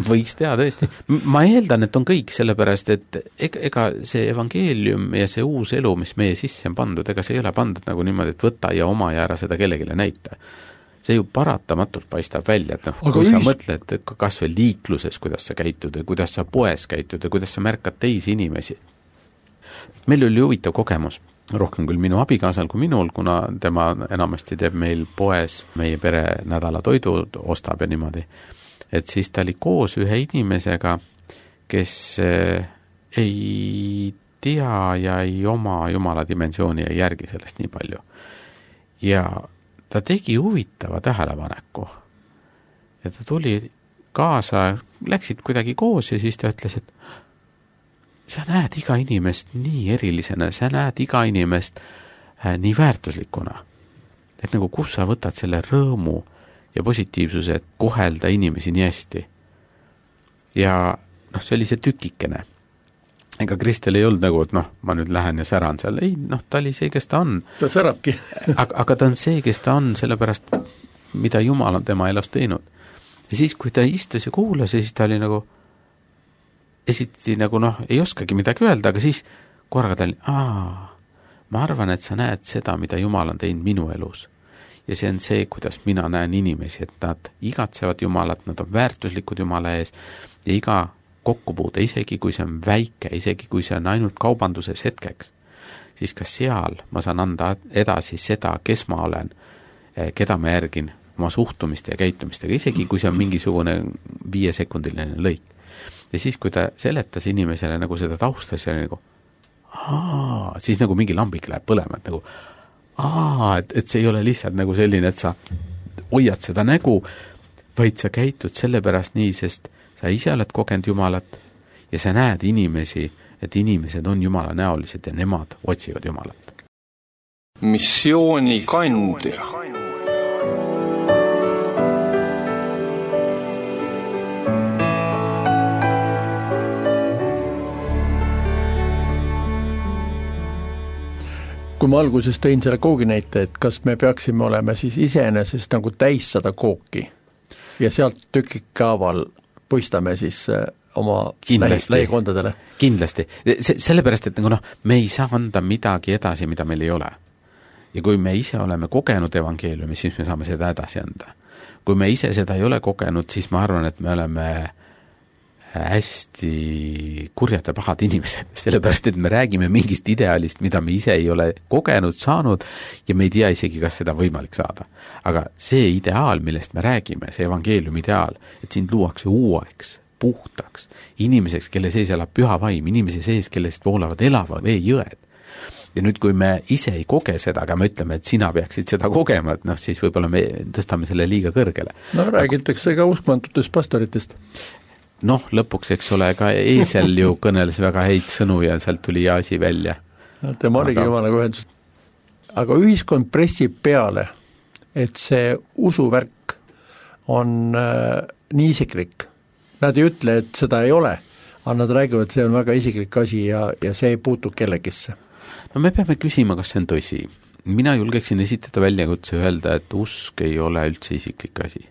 Võiks teha tõesti. Ma eeldan, et on kõik sellepärast, et ega, ega see evangeelium ja see uus elu, mis meie sisse on pandud, ega see ei ole pandud nagu niimoodi, et võta ja oma ja ära seda kellegile näita. See ju paratamatult paistab välja, et noh, kui ühis... sa mõtled kas või liikluses, kuidas sa käitud ja kuidas sa poes käitud ja kuidas sa märkad teisi inimesi. Meil oli huvitav kogemus, rohkem küll minu abikaasal kui minul, kuna tema enamasti teeb meil poes meie pere nädala toidud, ostab ja niimoodi. et siis ta oli koos ühe inimesega, kes ei tea ja ei oma Jumala dimensiooni ja järgi sellest nii palju. Ja ta tegi huvitava tähelepaneku. Ja ta tuli kaasa, läksid kuidagi koos ja siis ta ütles, et sa näed iga inimest nii erilisena, sa näed iga inimest äh, nii väärtuslikuna. Et nagu kus sa võtad selle rõõmu ja positiivsuse, et kohelda inimesi nii hästi. Ja noh, see oli see tükikene. Ega Kristel ei olnud nagu, et noh, ma nüüd lähen ja säran seal. Ei, noh, ta oli see, kes ta on. Ta särabki. aga, aga ta on see, kes ta on, sellepärast, mida Jumal on tema elus teinud. Ja siis, kui ta istus ja kuulas, siis ta oli nagu, esiti nagu noh, ei oskagi midagi öelda, aga siis korraga ta oli, aa, ma arvan, et sa näed seda, mida Jumal on teinud minu elus. Ja see on see, kuidas mina näen inimesi, et nad igatsevad Jumalat, nad on väärtuslikud Jumala ees ja iga kokkupuude, isegi kui see on väike, isegi kui see on ainult kaubanduses hetkeks, siis ka seal ma saan anda edasi seda, kes ma olen, keda ma järgin oma suhtumiste ja käitumistega, isegi kui see on mingisugune viiesekundiline lõik. Ja siis, kui ta seletas inimesele nagu seda taustas ja nagu aa, siis nagu mingi lambik läheb põlema, et nagu aa, et, et see ei ole lihtsalt nagu selline, et sa hoiad seda nägu, vaid sa käitud sellepärast nii, sest sa ise oled kogenud Jumalat ja sa näed inimesi, et inimesed on Jumala näolised ja nemad otsivad Jumalat. Missiooni kandja. Kui ma alguses tõin selle koogi näite, et kas me peaksime olema siis iseenesest nagu täis sada kooki ja sealt tükikaaval puistame siis oma lähikondadele. Kindlasti. Se- sellepärast, et nagu noh, me ei saa anda midagi edasi, mida meil ei ole. Ja kui me ise oleme kogenud evangeeliumi, siis me saame seda edasi anda. Kui me ise seda ei ole kogenud, siis ma arvan, et me oleme hästi kurjad ja pahad inimesed, sellepärast, et me räägime mingist ideaalist, mida me ise ei ole kogenud, saanud ja me ei tea isegi, kas seda võimalik saada. Aga see ideaal, millest me räägime, see evangeeliumi ideaal, et sind luuakse uueks, puhtaks, inimeseks, kelle sees elab püha vaim, inimese sees, kellest voolavad elava vee jõed. Ja nüüd, kui me ise ei koge seda, aga me ütleme, et sina peaksid seda kogema, et noh, siis võib-olla me tõstame selle liiga kõrgele. No räägitakse ka uskmantutest pastoritest. Noh, lõpuks, eks ole, ka eesel ju kõneles väga häid sõnu ja sealt tuli asi välja. No, tema oligi jumalaga ühendus. Aga ühiskond pressib peale, et see usuvärk on äh, nii isiklik. Nad ei ütle, et seda ei ole, aga nad räägivad, et see on väga isiklik asi ja, ja see ei puutu kellegisse. No me peame küsima, kas see on tõsi. Mina julgeksin esitada väljakutse öelda, et usk ei ole üldse isiklik asi.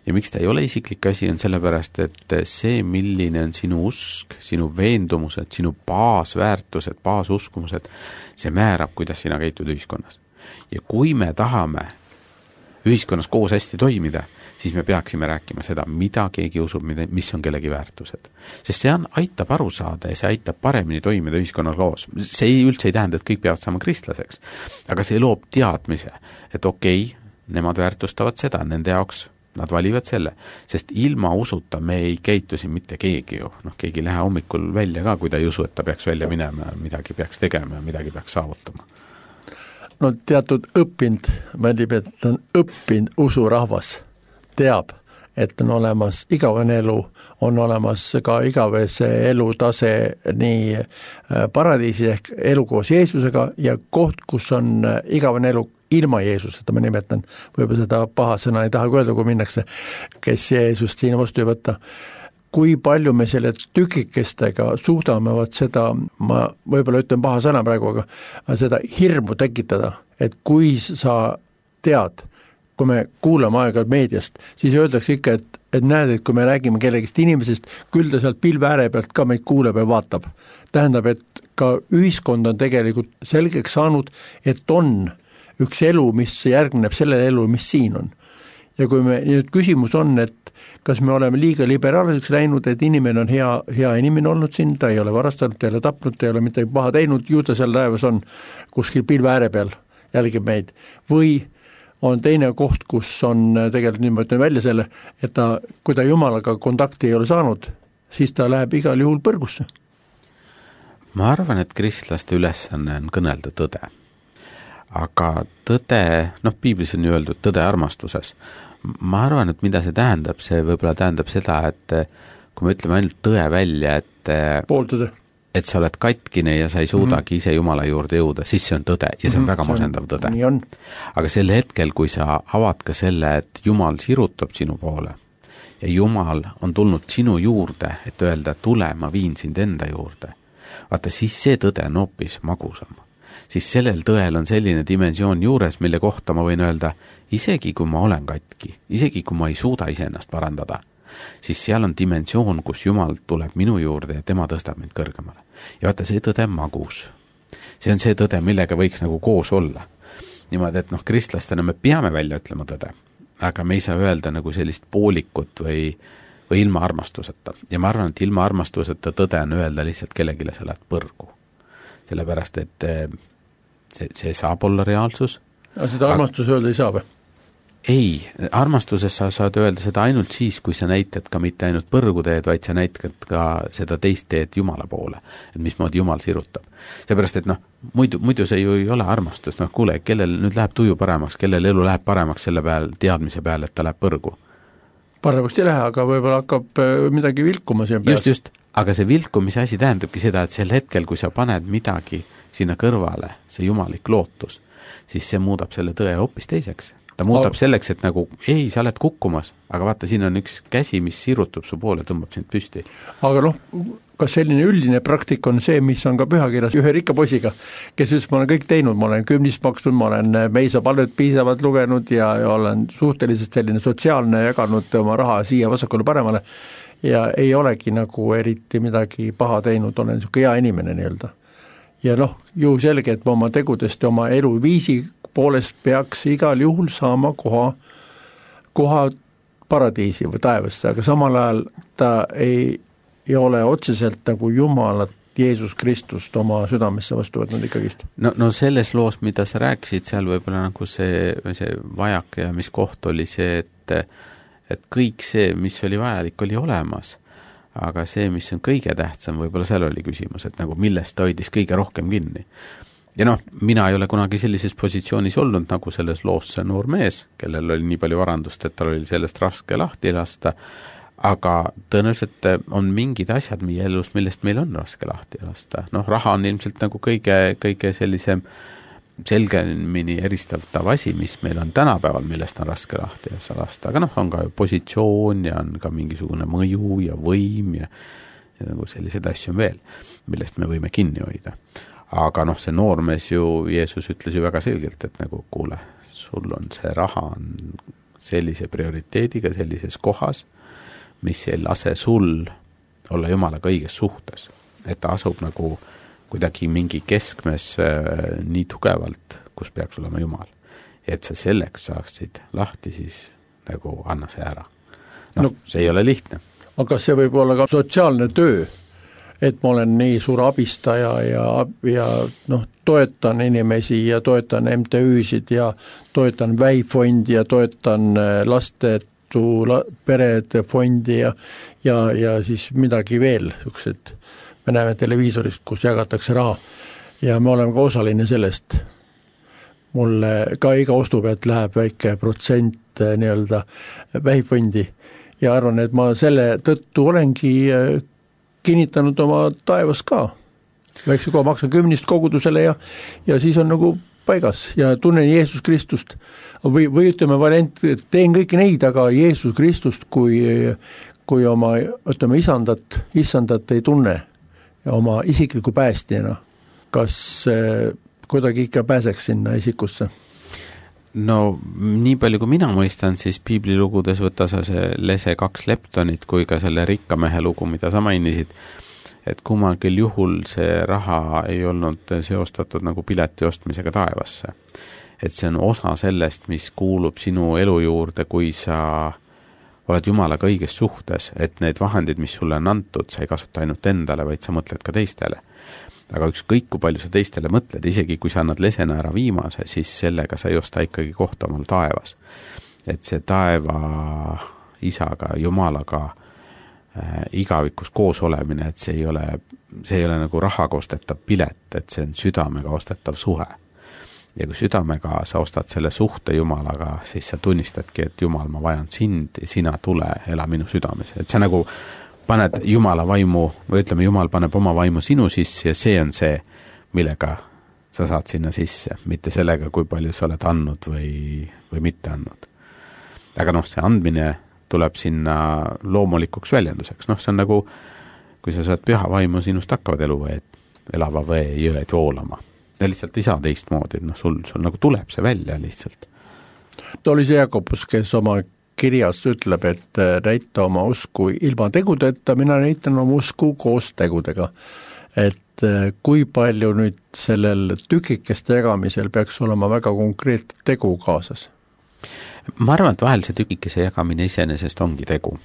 Ja miks ta ei ole isiklik asi, on sellepärast, et see, milline on sinu usk, sinu veendumused, sinu baasväärtused, baasuskumused, see määrab, kuidas sina käitud ühiskonnas. Ja kui me tahame ühiskonnas koos hästi toimida, siis me peaksime rääkima seda, mida keegi usub, mis on kellegi väärtused. Sest see on, aitab aru saada ja see aitab paremini toimida ühiskonnas koos. See ei, üldse ei tähenda, et kõik peavad saama kristlaseks, aga see loob teadmise, et okei, nemad väärtustavad seda, nende jaoks nad valivad selle, sest ilma usuta me ei käitu siin mitte keegi ju. Noh, keegi ei lähe hommikul välja ka, kui ta ei usu, et ta peaks välja minema, midagi peaks tegema ja midagi peaks saavutama. No teatud õppinud, ma ütleb, et on õppinud usurahvas, teab, et on olemas igavene elu, on olemas ka igavese elutase nii paradiisi ehk elu koos Jeesusega ja koht, kus on igavene elu ilma Jeesuseta, ma nimetan, võib-olla seda paha sõna ei taha öelda, kui minnakse, kes Jeesust siin vastu ei võtta. Kui palju me selle tükikestega suudame vaat seda, ma võib-olla ütlen paha sõna praegu, aga seda hirmu tekitada, et kui sa tead, kui me kuulame aega meediast, siis öeldakse ikka, et, et näed, et kui me räägime kellegist inimesest, küll ta sealt pilve ääre pealt ka meid kuuleb ja vaatab. Tähendab, et ka ühiskond on tegelikult selgeks saanud, et on üks elu, mis järgneb sellele elu, mis siin on. Ja kui me, nüüd küsimus on, et kas me oleme liiga liberaalseks läinud, et inimene on hea, hea inimene olnud siin, ta ei ole varastanud, ta ei ole tapnud, ta ei ole midagi paha teinud, ju ta seal taevas on kuskil pilve ääre peal, jälgib meid. Või on teine koht, kus on tegelikult, nüüd ma ütlen välja selle, et ta, kui ta Jumalaga kontakti ei ole saanud, siis ta läheb igal juhul põrgusse. Ma arvan, et kristlaste ülesanne on kõnelda tõde. Aga tõde, noh, piiblis on ju öeldud tõde armastuses. Ma arvan, et mida see tähendab, see võib-olla tähendab seda, et kui me ütleme ainult tõe välja, et pooltõde. Et sa oled katkine ja sa ei suudagi mm-hmm. ise Jumala juurde jõuda, siis see on tõde ja see on mm-hmm. väga masendav tõde. Nii on. Aga sel hetkel, kui sa avad ka selle, et Jumal sirutab sinu poole ja Jumal on tulnud sinu juurde, et öelda, tule, ma viin sind enda juurde, vaata, siis see tõde on hoopis magusam. Siis sellel tõel on selline dimensioon juures, mille kohta ma võin öelda, isegi kui ma olen katki, isegi kui ma ei suuda iseennast parandada, siis seal on dimensioon, kus Jumal tuleb minu juurde ja tema tõstab mind kõrgemale. Ja vaata, see tõde on magus. See on see tõde, millega võiks nagu koos olla. Niimoodi, et noh, kristlastena me peame välja ütlema tõde, aga me ei saa öelda nagu sellist poolikut või, või ilma armastuseta. Ja ma arvan, et ilma armastuseta tõde on öelda lihtsalt kellegile sa lähed põrgu. Sellepärast, et see, see saab olla reaalsus. Aga seda armastus aga... öelda ei saa või? Ei, armastuses sa saad öelda seda ainult siis, kui sa näitad ka mitte ainult põrgu teed, vaid sa näitad ka seda teist teed Jumala poole, et mismoodi Jumal sirutab. Seepärast, et noh, muidu, muidu see ju ei ole armastus, noh kuule, kellel nüüd läheb tuju paremaks, kellel elu läheb paremaks selle peal, teadmise peal, et ta läheb põrgu. Paremaks ei lähe, aga võib-olla hakkab midagi vilkuma siin peas. Just, just, aga see vilkumise asi tähendabki seda, et sel hetkel, kui sa paned midagi sinna kõrvale, see jumalik lootus, siis see muudab selle tõe hoopis teiseks. Ta muudab selleks, et nagu, ei, sa oled kukkumas, aga vaata, siin on üks käsi, mis sirutub su poole, tõmbab sind püsti. Aga noh, kas selline üldine praktik on see, mis on ka pühakirjas ühe rikka poisiga, kes ütles, ma olen kõik teinud, ma olen kümnist maksnud, ma olen meisa palvet piisavalt lugenud ja, ja olen suhteliselt selline sotsiaalne, jaganud oma raha siia vasakule paremale ja ei olegi nagu eriti midagi paha teinud, olen niisugune hea inimene nii-öelda. Ja noh, ju selge, et oma tegudest ja oma eluviisi poolest peaks igal juhul saama koha, koha paradiisi või taevasse, aga samal ajal ta ei, ei ole otseselt nagu Jumalat, Jeesus Kristust oma südamesse vastu võtnud ikkagist. No, no selles loos, mida sa rääkisid, seal võib-olla nagu see, see vajak ja mis koht oli see, et, et kõik see, mis oli vajalik, oli olemas. Aga see, mis on kõige tähtsam, võib-olla seal oli küsimus, et nagu millest ta hoidis kõige rohkem kinni. Ja noh, mina ei ole kunagi sellises positsioonis olnud nagu selles loos see noor mees, kellel oli nii palju varandust, et tal oli sellest raske lahti lasta, aga tõenäoliselt on mingid asjad meie elus, millest meil on raske lahti lasta. Noh, raha on ilmselt nagu kõige, kõige sellisem selgemini eristatav asi, mis meil on tänapäeval, millest on raske lahti lasta, aga noh, on ka positsioon ja on ka mingisugune mõju ja võim ja, ja nagu sellised asju on veel, millest me võime kinni hoida. Aga noh, see noormees ju, Jeesus ütles ju väga selgelt, et nagu kuule, sul on see raha on sellise prioriteediga, sellises kohas, mis ei lase sul olla Jumalaga õiges suhtes. Et ta asub nagu kuidagi mingi keskmes äh, nii tugevalt, kus peaks olema Jumal. Et sa selleks saaksid lahti, siis nagu anna see ära. No, no see ei ole lihtne. Aga see võib olla ka sotsiaalne töö, et ma olen nii suur abistaja ja, ja noh, toetan inimesi ja toetan M T Üsid ja toetan väifondi ja toetan lastetu perede fondi ja, ja, ja siis midagi veel, niisugused, me näeme televiisorist, kus jagatakse raha ja me oleme ka osaline sellest. Mulle ka iga ostu pealt läheb väike protsent nii-öelda väifondi ja arvan, et ma selle tõttu olengi kinnitanud oma taevas ka. Väikse koha maksan kümnist kogudusele ja, ja siis on nagu paigas ja tunnen Jeesus Kristust. Või, või ütleme valent, teen kõiki neid, aga Jeesus Kristust kui, kui oma, ütleme, isandat, isandat ei tunne ja oma isikliku päästjana. Kas eh, kuidagi ikka pääseks sinna isikusse? No nii palju kui mina mõistan, siis piiblilugudes võtta sa see lese kaks leptonit kui ka selle rikka mehe lugu, mida sa mainisid, et kummalgi juhul see raha ei olnud seostatud nagu pileti ostmisega taevasse. Et see on osa sellest, mis kuulub sinu elu juurde, kui sa oled Jumalaga õiges suhtes, et need vahendid, mis sulle on antud, sa ei kasuta ainult endale, vaid sa mõtled ka teistele. aga ükskõik, kui palju sa teistele mõtled, isegi kui sa annad lesena ära viimase, siis sellega sa ei osta ikkagi kohta omal taevas. Et see taeva isaga, Jumalaga äh, igavikus koos olemine, et see ei ole, see ei ole nagu rahaga ostetav pilet, et see on südamega ostetav suhe. Ja kui südamega sa ostad selle suhte Jumalaga, siis sa tunnistadki, et Jumal, ma vajan sind ja sina tule, ela minu südames. Et sa nagu paned Jumala vaimu, või ütleme, Jumal paneb oma vaimu sinu sisse ja see on see, millega sa saad sinna sisse, mitte sellega, kui palju sa oled andnud või, või mitte andnud. Aga noh, see andmine tuleb sinna loomulikuks väljenduseks. Noh, see on nagu, kui sa saad püha vaimu, sinust hakkavad eluveed, elava vee jõed voolama. Ja lihtsalt ei saa teistmoodi, et noh, sul, sul nagu tuleb see välja lihtsalt. Ta oli see Jakobus, kes oma kirjas ütleb, et näita oma usku ilma tegudeta, mina näitan oma usku koos tegudega. Et kui palju nüüd sellel tükikeste jagamisel peaks olema väga konkreetne tegu kaasas? Ma arvan, et vahel see tükikese jagamine iseenesest ongi tegu.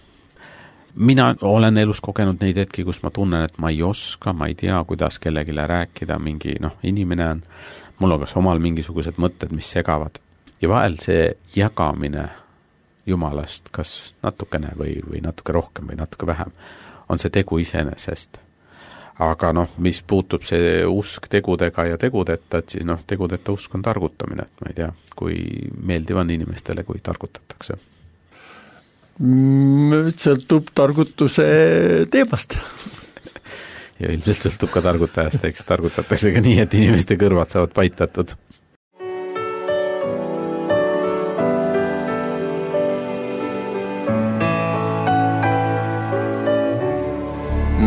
Mina olen elus kogenud neid hetki, kus ma tunnen, et ma ei oska, ma ei tea, kuidas kellegile rääkida, mingi noh, inimene on, mul on kas omal mingisugused mõtted, mis segavad. Ja vahel see jagamine Jumalast, kas natukene või, või natuke rohkem või natuke vähem, on see tegu iseenesest. Aga noh, mis puutub see usk tegudega ja tegudeta, et siis noh, tegudeta usk on targutamine, et ma ei tea, kui meeldiv on inimestele, kui targutatakse. Sõltub targutuse teemast. Ja ilmselt sõltub ka targutajast, eks targutatakse ka nii, et inimeste kõrvad saavad paitatud.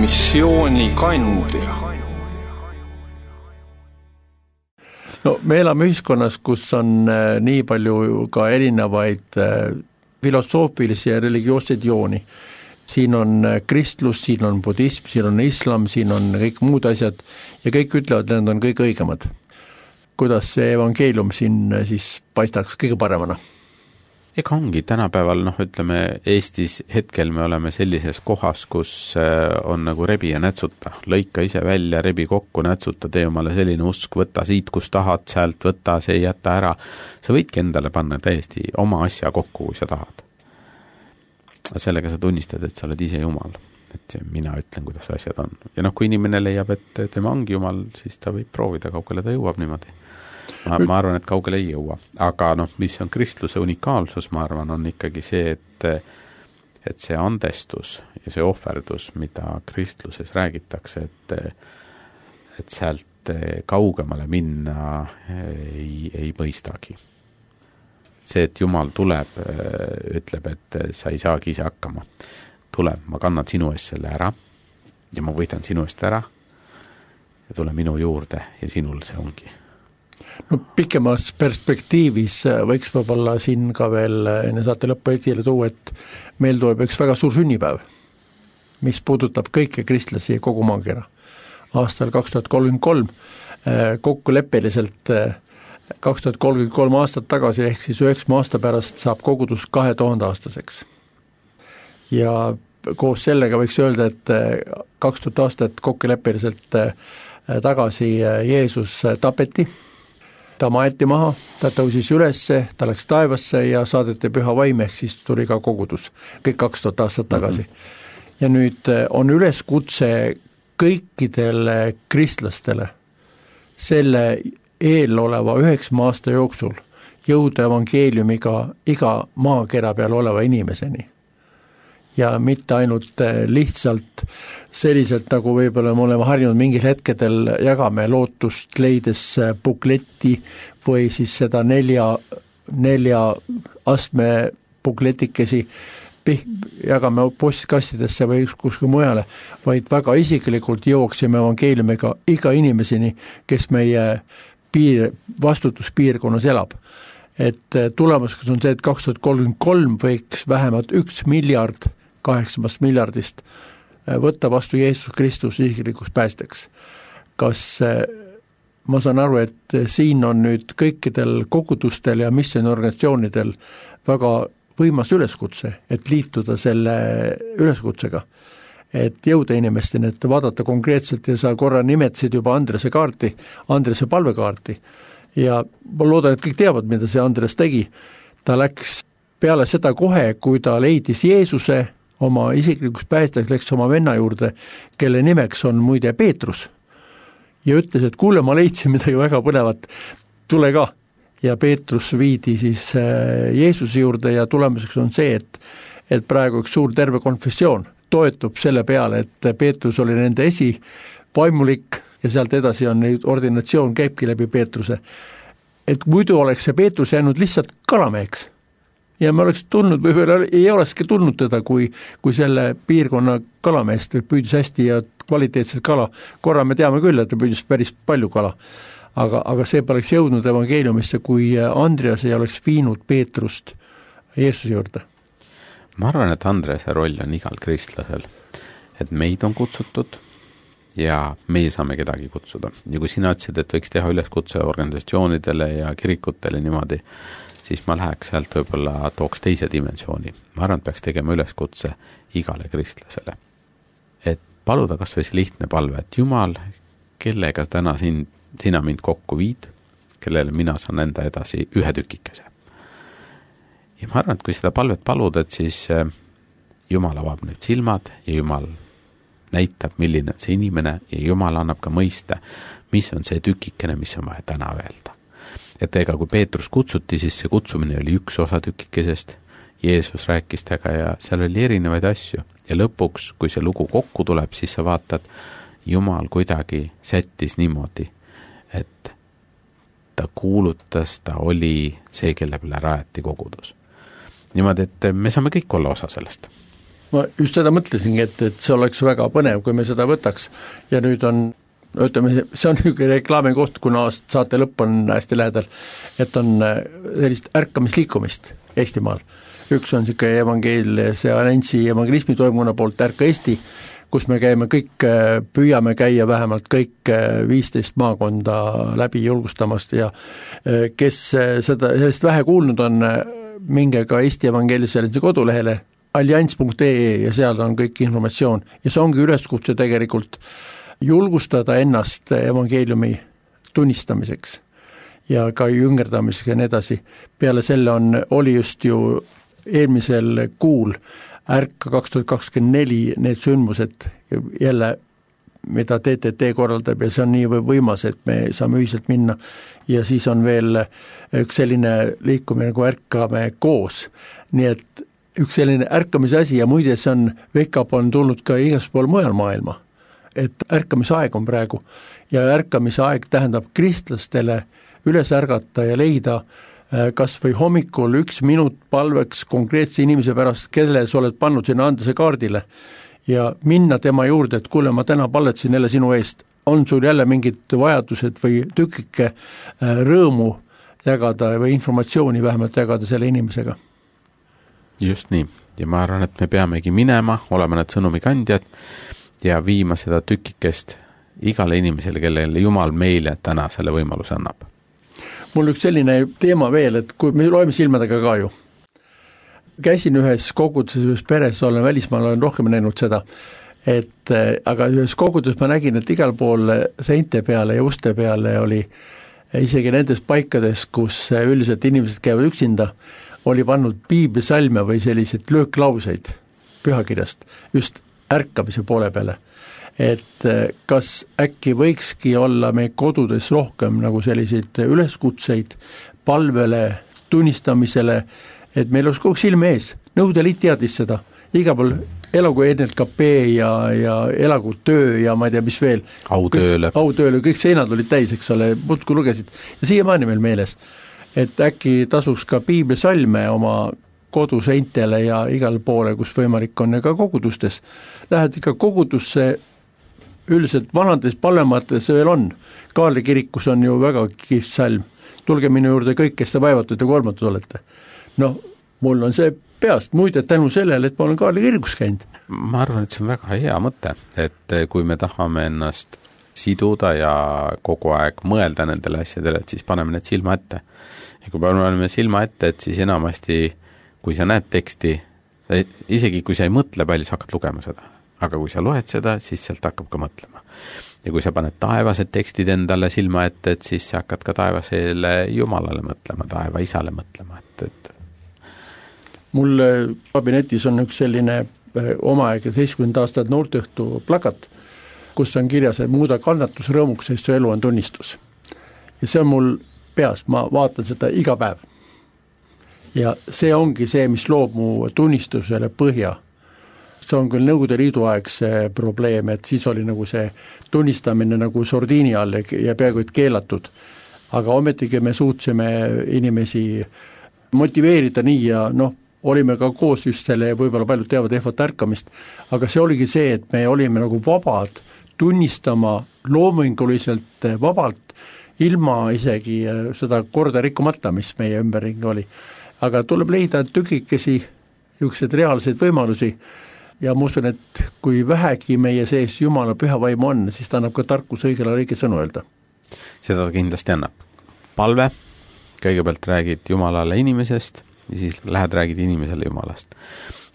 Missiooni kandja. No, me elame ühiskonnas, kus on nii palju ka erinevaid filosoofilisi ja religioosseid jooni. Siin on kristlus, siin on budism, siin on islam, siin on kõik muud asjad ja kõik ütlevad, et need on kõik õigemad. Kuidas see evangeelium siin siis paistaks kõige paremana? Ega ongi tänapäeval, noh ütleme, Eestis hetkel me oleme sellises kohas, kus on nagu rebi ja nätsuta. Lõika ise välja, rebi kokku, nätsuta, tee omale selline usk, võtta siit, kus tahad, sealt võtta, see jätta ära. Sa võidki endale panna täiesti oma asja kokku, kui sa tahad. Sellega sa tunnistad, et sa oled ise Jumal. Et mina ütlen, kuidas asjad on. Ja noh, kui inimene leiab, et tema ongi Jumal, siis ta võib proovida, kaugele ta jõuab niimoodi. Ma, ma arvan, et kaugele ei jõua. Aga noh, mis on kristluse unikaalsus, ma arvan, on ikkagi see, et, et see andestus ja see ohverdus, mida kristluses räägitakse, et, et sealt kaugemale minna ei, ei mõistagi. See, et Jumal tuleb, ütleb, et sa ei saagi ise hakkama. Tuleb, ma kannan sinu eest selle ära ja ma võidan sinu eest ära ja tule minu juurde ja sinul see ongi. No pikemas perspektiivis võiks võib-olla siin ka veel enne saate lõppu esile tuua, et meil tuleb üks väga suur sünnipäev, mis puudutab kõiki kristlasi kogu maakera. Aastal kaks tuhat kolmkümmend kolm kokkuleppeliselt kaks tuhat kolmkümmend kolm aastat tagasi ehk siis üheksa aasta pärast saab kogudus kahe tuhande aastaseks. Ja koos sellega võiks öelda, et kaks tuhat aastat kokkuleppeliselt tagasi Jeesus tapeti. Ta maeti maha, ta tõusis ülesse, ta läks taevasse ja saadeti püha vaim, ehk siis tuli ka kogudus, kõik kaks tuhat aastat tagasi. Mm-hmm. Ja nüüd on üleskutse kõikidele kristlastele selle eeloleva üheksa aasta jooksul jõuda evangeeliumiga iga maakera peal oleva inimeseni. Ja mitte ainult lihtsalt selliselt, nagu võib-olla me oleme harjunud mingil hetkedel jagame lootust leides bukletti või siis seda nelja, nelja astme bukletikesi jagame postkastidesse või kuskil mujale, vaid väga isiklikult jõuaksime evangeeliumiga iga inimeseni, kes meie piir, vastutuspiirkonnas elab. Et tulemuseks on see, et kaks tuhat kolmkümmend kolm võiks vähemalt üks miljard kaheksamast miljardist võtta vastu Jeesus Kristus isiklikus päästeks. Kas ma saan aru, et siin on nüüd kõikidel kogudustel ja missiooniorganisatsioonidel väga võimas üleskutse, et liituda selle üleskutsega. et jõuda inimesteni, et vaadata konkreetselt ja sa korra nimetasid juba Andrese kaarti, Andrese palvekaarti ja ma loodan, et kõik teavad, mida see Andres tegi. Ta läks peale seda kohe, kui ta leidis Jeesuse oma isiklikuks päästjaks, läks oma venna juurde, kelle nimeks on muide Peetrus ja ütles, et kuule, ma leidsin midagi väga põnevat, tule ka. Ja Peetrus viidi siis Jeesuse juurde ja tulemuseks on see, et, et praegu üks suur terve konfessioon toetub selle peale, et Peetrus oli nende esivaimulik ja sealt edasi on ordinatsioon käibki läbi Peetruse. Et muidu oleks see Peetrus jäänud lihtsalt kalameheks ja me oleks tulnud, või ei olekski tulnud teda, kui, kui selle piirkonna kalameest püüdis hästi ja kvaliteetset kala. Korra me teame küll, et ta püüdis päris palju kala, aga, aga see poleks jõudnud evangeeliumisse, kui Andreas ei oleks viinud Peetrust Jeesuse juurde. Ma arvan, et Andrese roll on igal kristlasel, et meid on kutsutud ja meie saame kedagi kutsuda. Ja kui sina ütlesid, et võiks teha üleskutse organisatsioonidele ja kirikutele niimoodi, siis ma läheks sealt võib-olla tooks teise dimensiooni. Ma arvan, et peaks tegema üleskutse igale kristlasele. Et paluda kas või see lihtne palve, et Jumal, kellega täna siin, sina mind kokku viid, kellele mina saan enda edasi ühe tükikese. Ja ma arvan, et kui seda palvet palud, et siis Jumal avab nüüd silmad ja Jumal näitab, milline on see inimene ja Jumal annab ka mõista, mis on see tükikene, mis on vaja täna öelda. Et ega kui Peetrus kutsuti, siis see kutsumine oli üks osa tükikesest, Jeesus rääkis tega ja seal oli erinevaid asju. Ja lõpuks, kui see lugu kokku tuleb, siis sa vaatad, Jumal kuidagi sättis niimoodi, et ta kuulutas, ta oli see, kelle peale rajati kogudus. Niimoodi, et me saame kõik olla osa sellest. Ma just seda mõtlesingi, et, et see oleks väga põnev, kui me seda võtaks ja nüüd on, ütleme, see on üks reklaami koht, kuna saate lõpp on hästi lähedal, et on sellist ärkamisliikumist Eestimaal. Üks on siuke evangeelse Anentsi evangelismi toimuna poolt Ärka Eesti, kus me käime kõik, püüame käia vähemalt kõik viisteist maakonda läbi julgustamast ja kes seda, sellest vähe kuulnud on, minge ka Eesti evangeelse kodulehele allianss punkt ee ja seal on kõik informatsioon ja see ongi üleskutse tegelikult julgustada ennast evangeeliumi tunnistamiseks ja ka jüngerdamiseks ja nii edasi. Peale selle on, oli just ju eelmisel kuul Ärka kaks tuhat kakskümmend neli need sündmused jälle, mida T T T korraldab ja see on nii võimas, et me saame ühiselt minna ja siis on veel üks selline liikumine nagu Ärkame koos, nii et üks selline ärkamise asi ja muide see on, Vekap on tulnud ka igaspool mujal maailma, et ärkamise aeg on praegu ja ärkamise aeg tähendab kristlastele üles ärgata ja leida kas või hommikul üks minut palveks konkreetse inimese pärast, kelle sa oled pannud sinna Andrese kaardile ja minna tema juurde, et kuule, ma täna palvetsin jälle sinu eest, on sul jälle mingid vajadused või tükike rõõmu jagada või informatsiooni vähemalt jagada selle inimesega. Just nii, ja ma arvan, et me peamegi minema, olema need sõnumikandjad ja viima seda tükikest igale inimesele, kellele Jumal meile täna selle võimaluse annab. Mul üks selline teema veel, et kui me loeme silmadega ka ju, käisin ühes koguduses, ühes peres, olen välismaal, olen rohkem näinud seda, et aga ühes koguduses ma nägin, et igal pool seinte peale ja uste peale oli isegi nendes paikades, kus üldiselt inimesed käivad üksinda, oli pannud piiblisalme või selliseid lööklauseid pühakirjast just ärkamise poole peale. Et kas äkki võikski olla meie kodudes rohkem nagu selliseid üleskutseid palvele, tunnistamisele, et meil oleks kogu silme ees. Nõude Liit teadis seda. Iga pool elagu N L K P ja, ja elagu töö ja ma ei tea, mis veel. Autööle. Autööle, kõik seinad olid täis, eks ole, muudkui lugesid. Ja siiamaani meil meeles, et äkki tasuks ka piiblisalme oma koduseintele ja igal poole, kus võimalik on ja ka kogudustes. Lähed ikka kogudusse, üldiselt vanades palvemates veel on. Kaarli kirikus on ju väga kihvt salm. Tulge minu juurde kõik, kes te vaevatud ja kolmatud olete. No, mul on see peast muide tänu sellele, et ma olen Kaarli kirikus käinud. Ma arvan, et see on väga hea mõte, et kui me tahame ennast siduda ja kogu aeg mõelda nendele asjadele, et siis paneme need silma ette. Ja kui paneme silma ette, et siis enamasti, kui sa näed teksti, sa, isegi kui sa ei mõtle palju, sa hakkad lugema seda. aga kui sa loed seda, siis sealt hakkab ka mõtlema. Ja kui sa paned taevased tekstid endale silma ette, et siis sa hakkad ka taevasele Jumalale mõtlema, taeva isale mõtlema, et, et mul kabinetis on üks selline omaaega seitsekümmend aastat noorteõhtu plakat, kus on kirjas, et muuda kannatus rõõmuks, sest su elu on tunnistus. Ja see on mul peas, ma vaatan seda iga päev. Ja see ongi see, mis loob mu tunnistusele põhja. See on küll Nõukogude Liidu aegse probleem, et siis oli nagu see tunnistamine nagu sordiini all ja peaaegu et keelatud. Aga ometigi me suutsime inimesi motiveerida nii ja noh, olime ka koos just selle ja võib-olla paljud teavad ehvat ärkamist, aga see oligi see, et me olime nagu vabad tunnistama loominguliselt vabalt, ilma isegi seda korda rikkumata, mis meie ümberringi oli. Aga tuleb leida tükikesi, niisugused reaalseid võimalusi ja ma usun, et kui vähegi meie sees Jumala püha vaim on, siis ta annab ka tarkus õigele õige sõnu öelda. Seda kindlasti annab. Palve, kõigepealt räägid Jumalale inimesest ja siis lähed räägid inimesele Jumalast.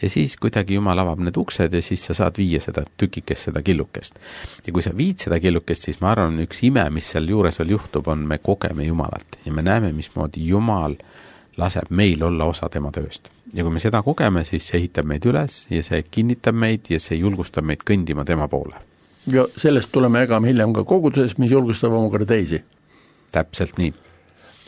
Ja siis kuidagi Jumal avab need uksed ja siis sa saad viia seda tükikest, seda killukest. Ja kui sa viid seda killukest, siis ma arvan, üks ime, mis seal juures veel juhtub, on me kogeme Jumalat ja me näeme, mismoodi Jumal laseb meil olla osa tema tööst. Ja kui me seda kogeme, siis see ehitab meid üles ja see kinnitab meid ja see julgustab meid kõndima tema poole. Ja sellest tuleme ägame hiljem ka koguduses, mis julgustab omakorda teisi. Täpselt nii.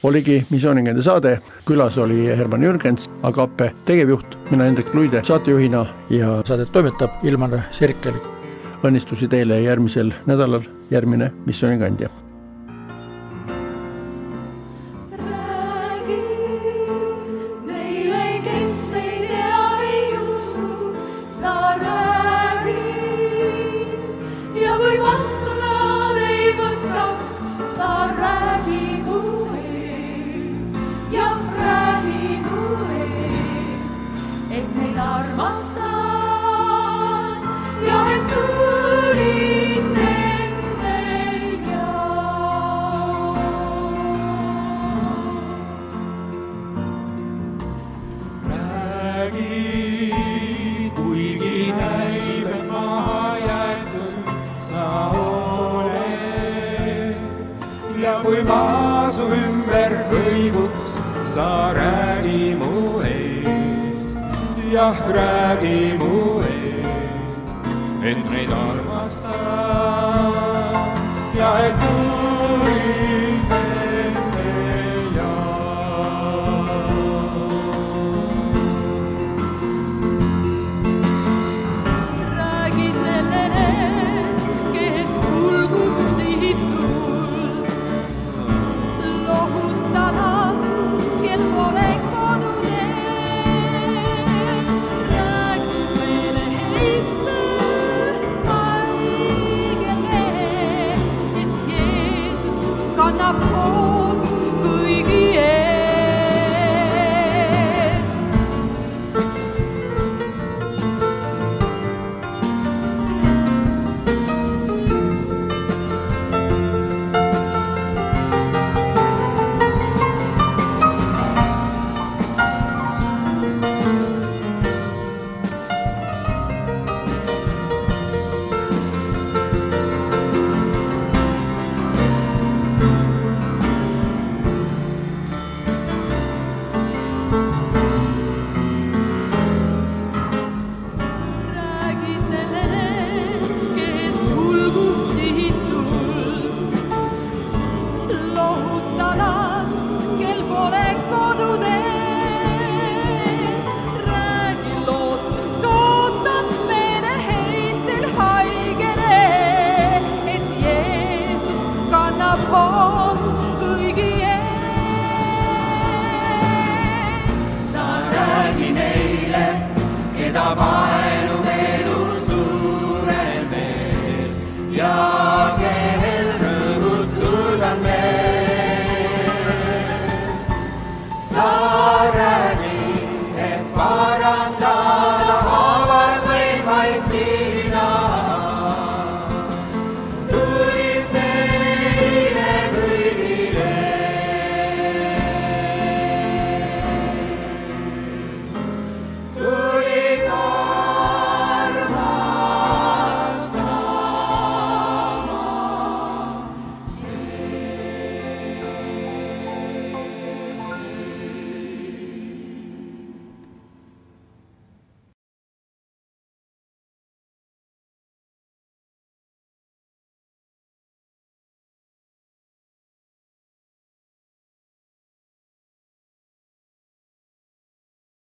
Oligi Missiooningende saade, külas oli Herman Jürgens, Agape tegevjuht, mina Hendrik Luide saatejuhina ja saadet toimetab Ilmar Serkel. Õnnistusi teile järgmisel nädalal, järgmine Missiooningandja. Kui maa su ümber kõiguks, sa räägi mu eest. Jah, räägi mu eest, et meid armastab ja et uurin nende Räägi sellele, kes kulgub sihitud. Sa räägi neile, keda ma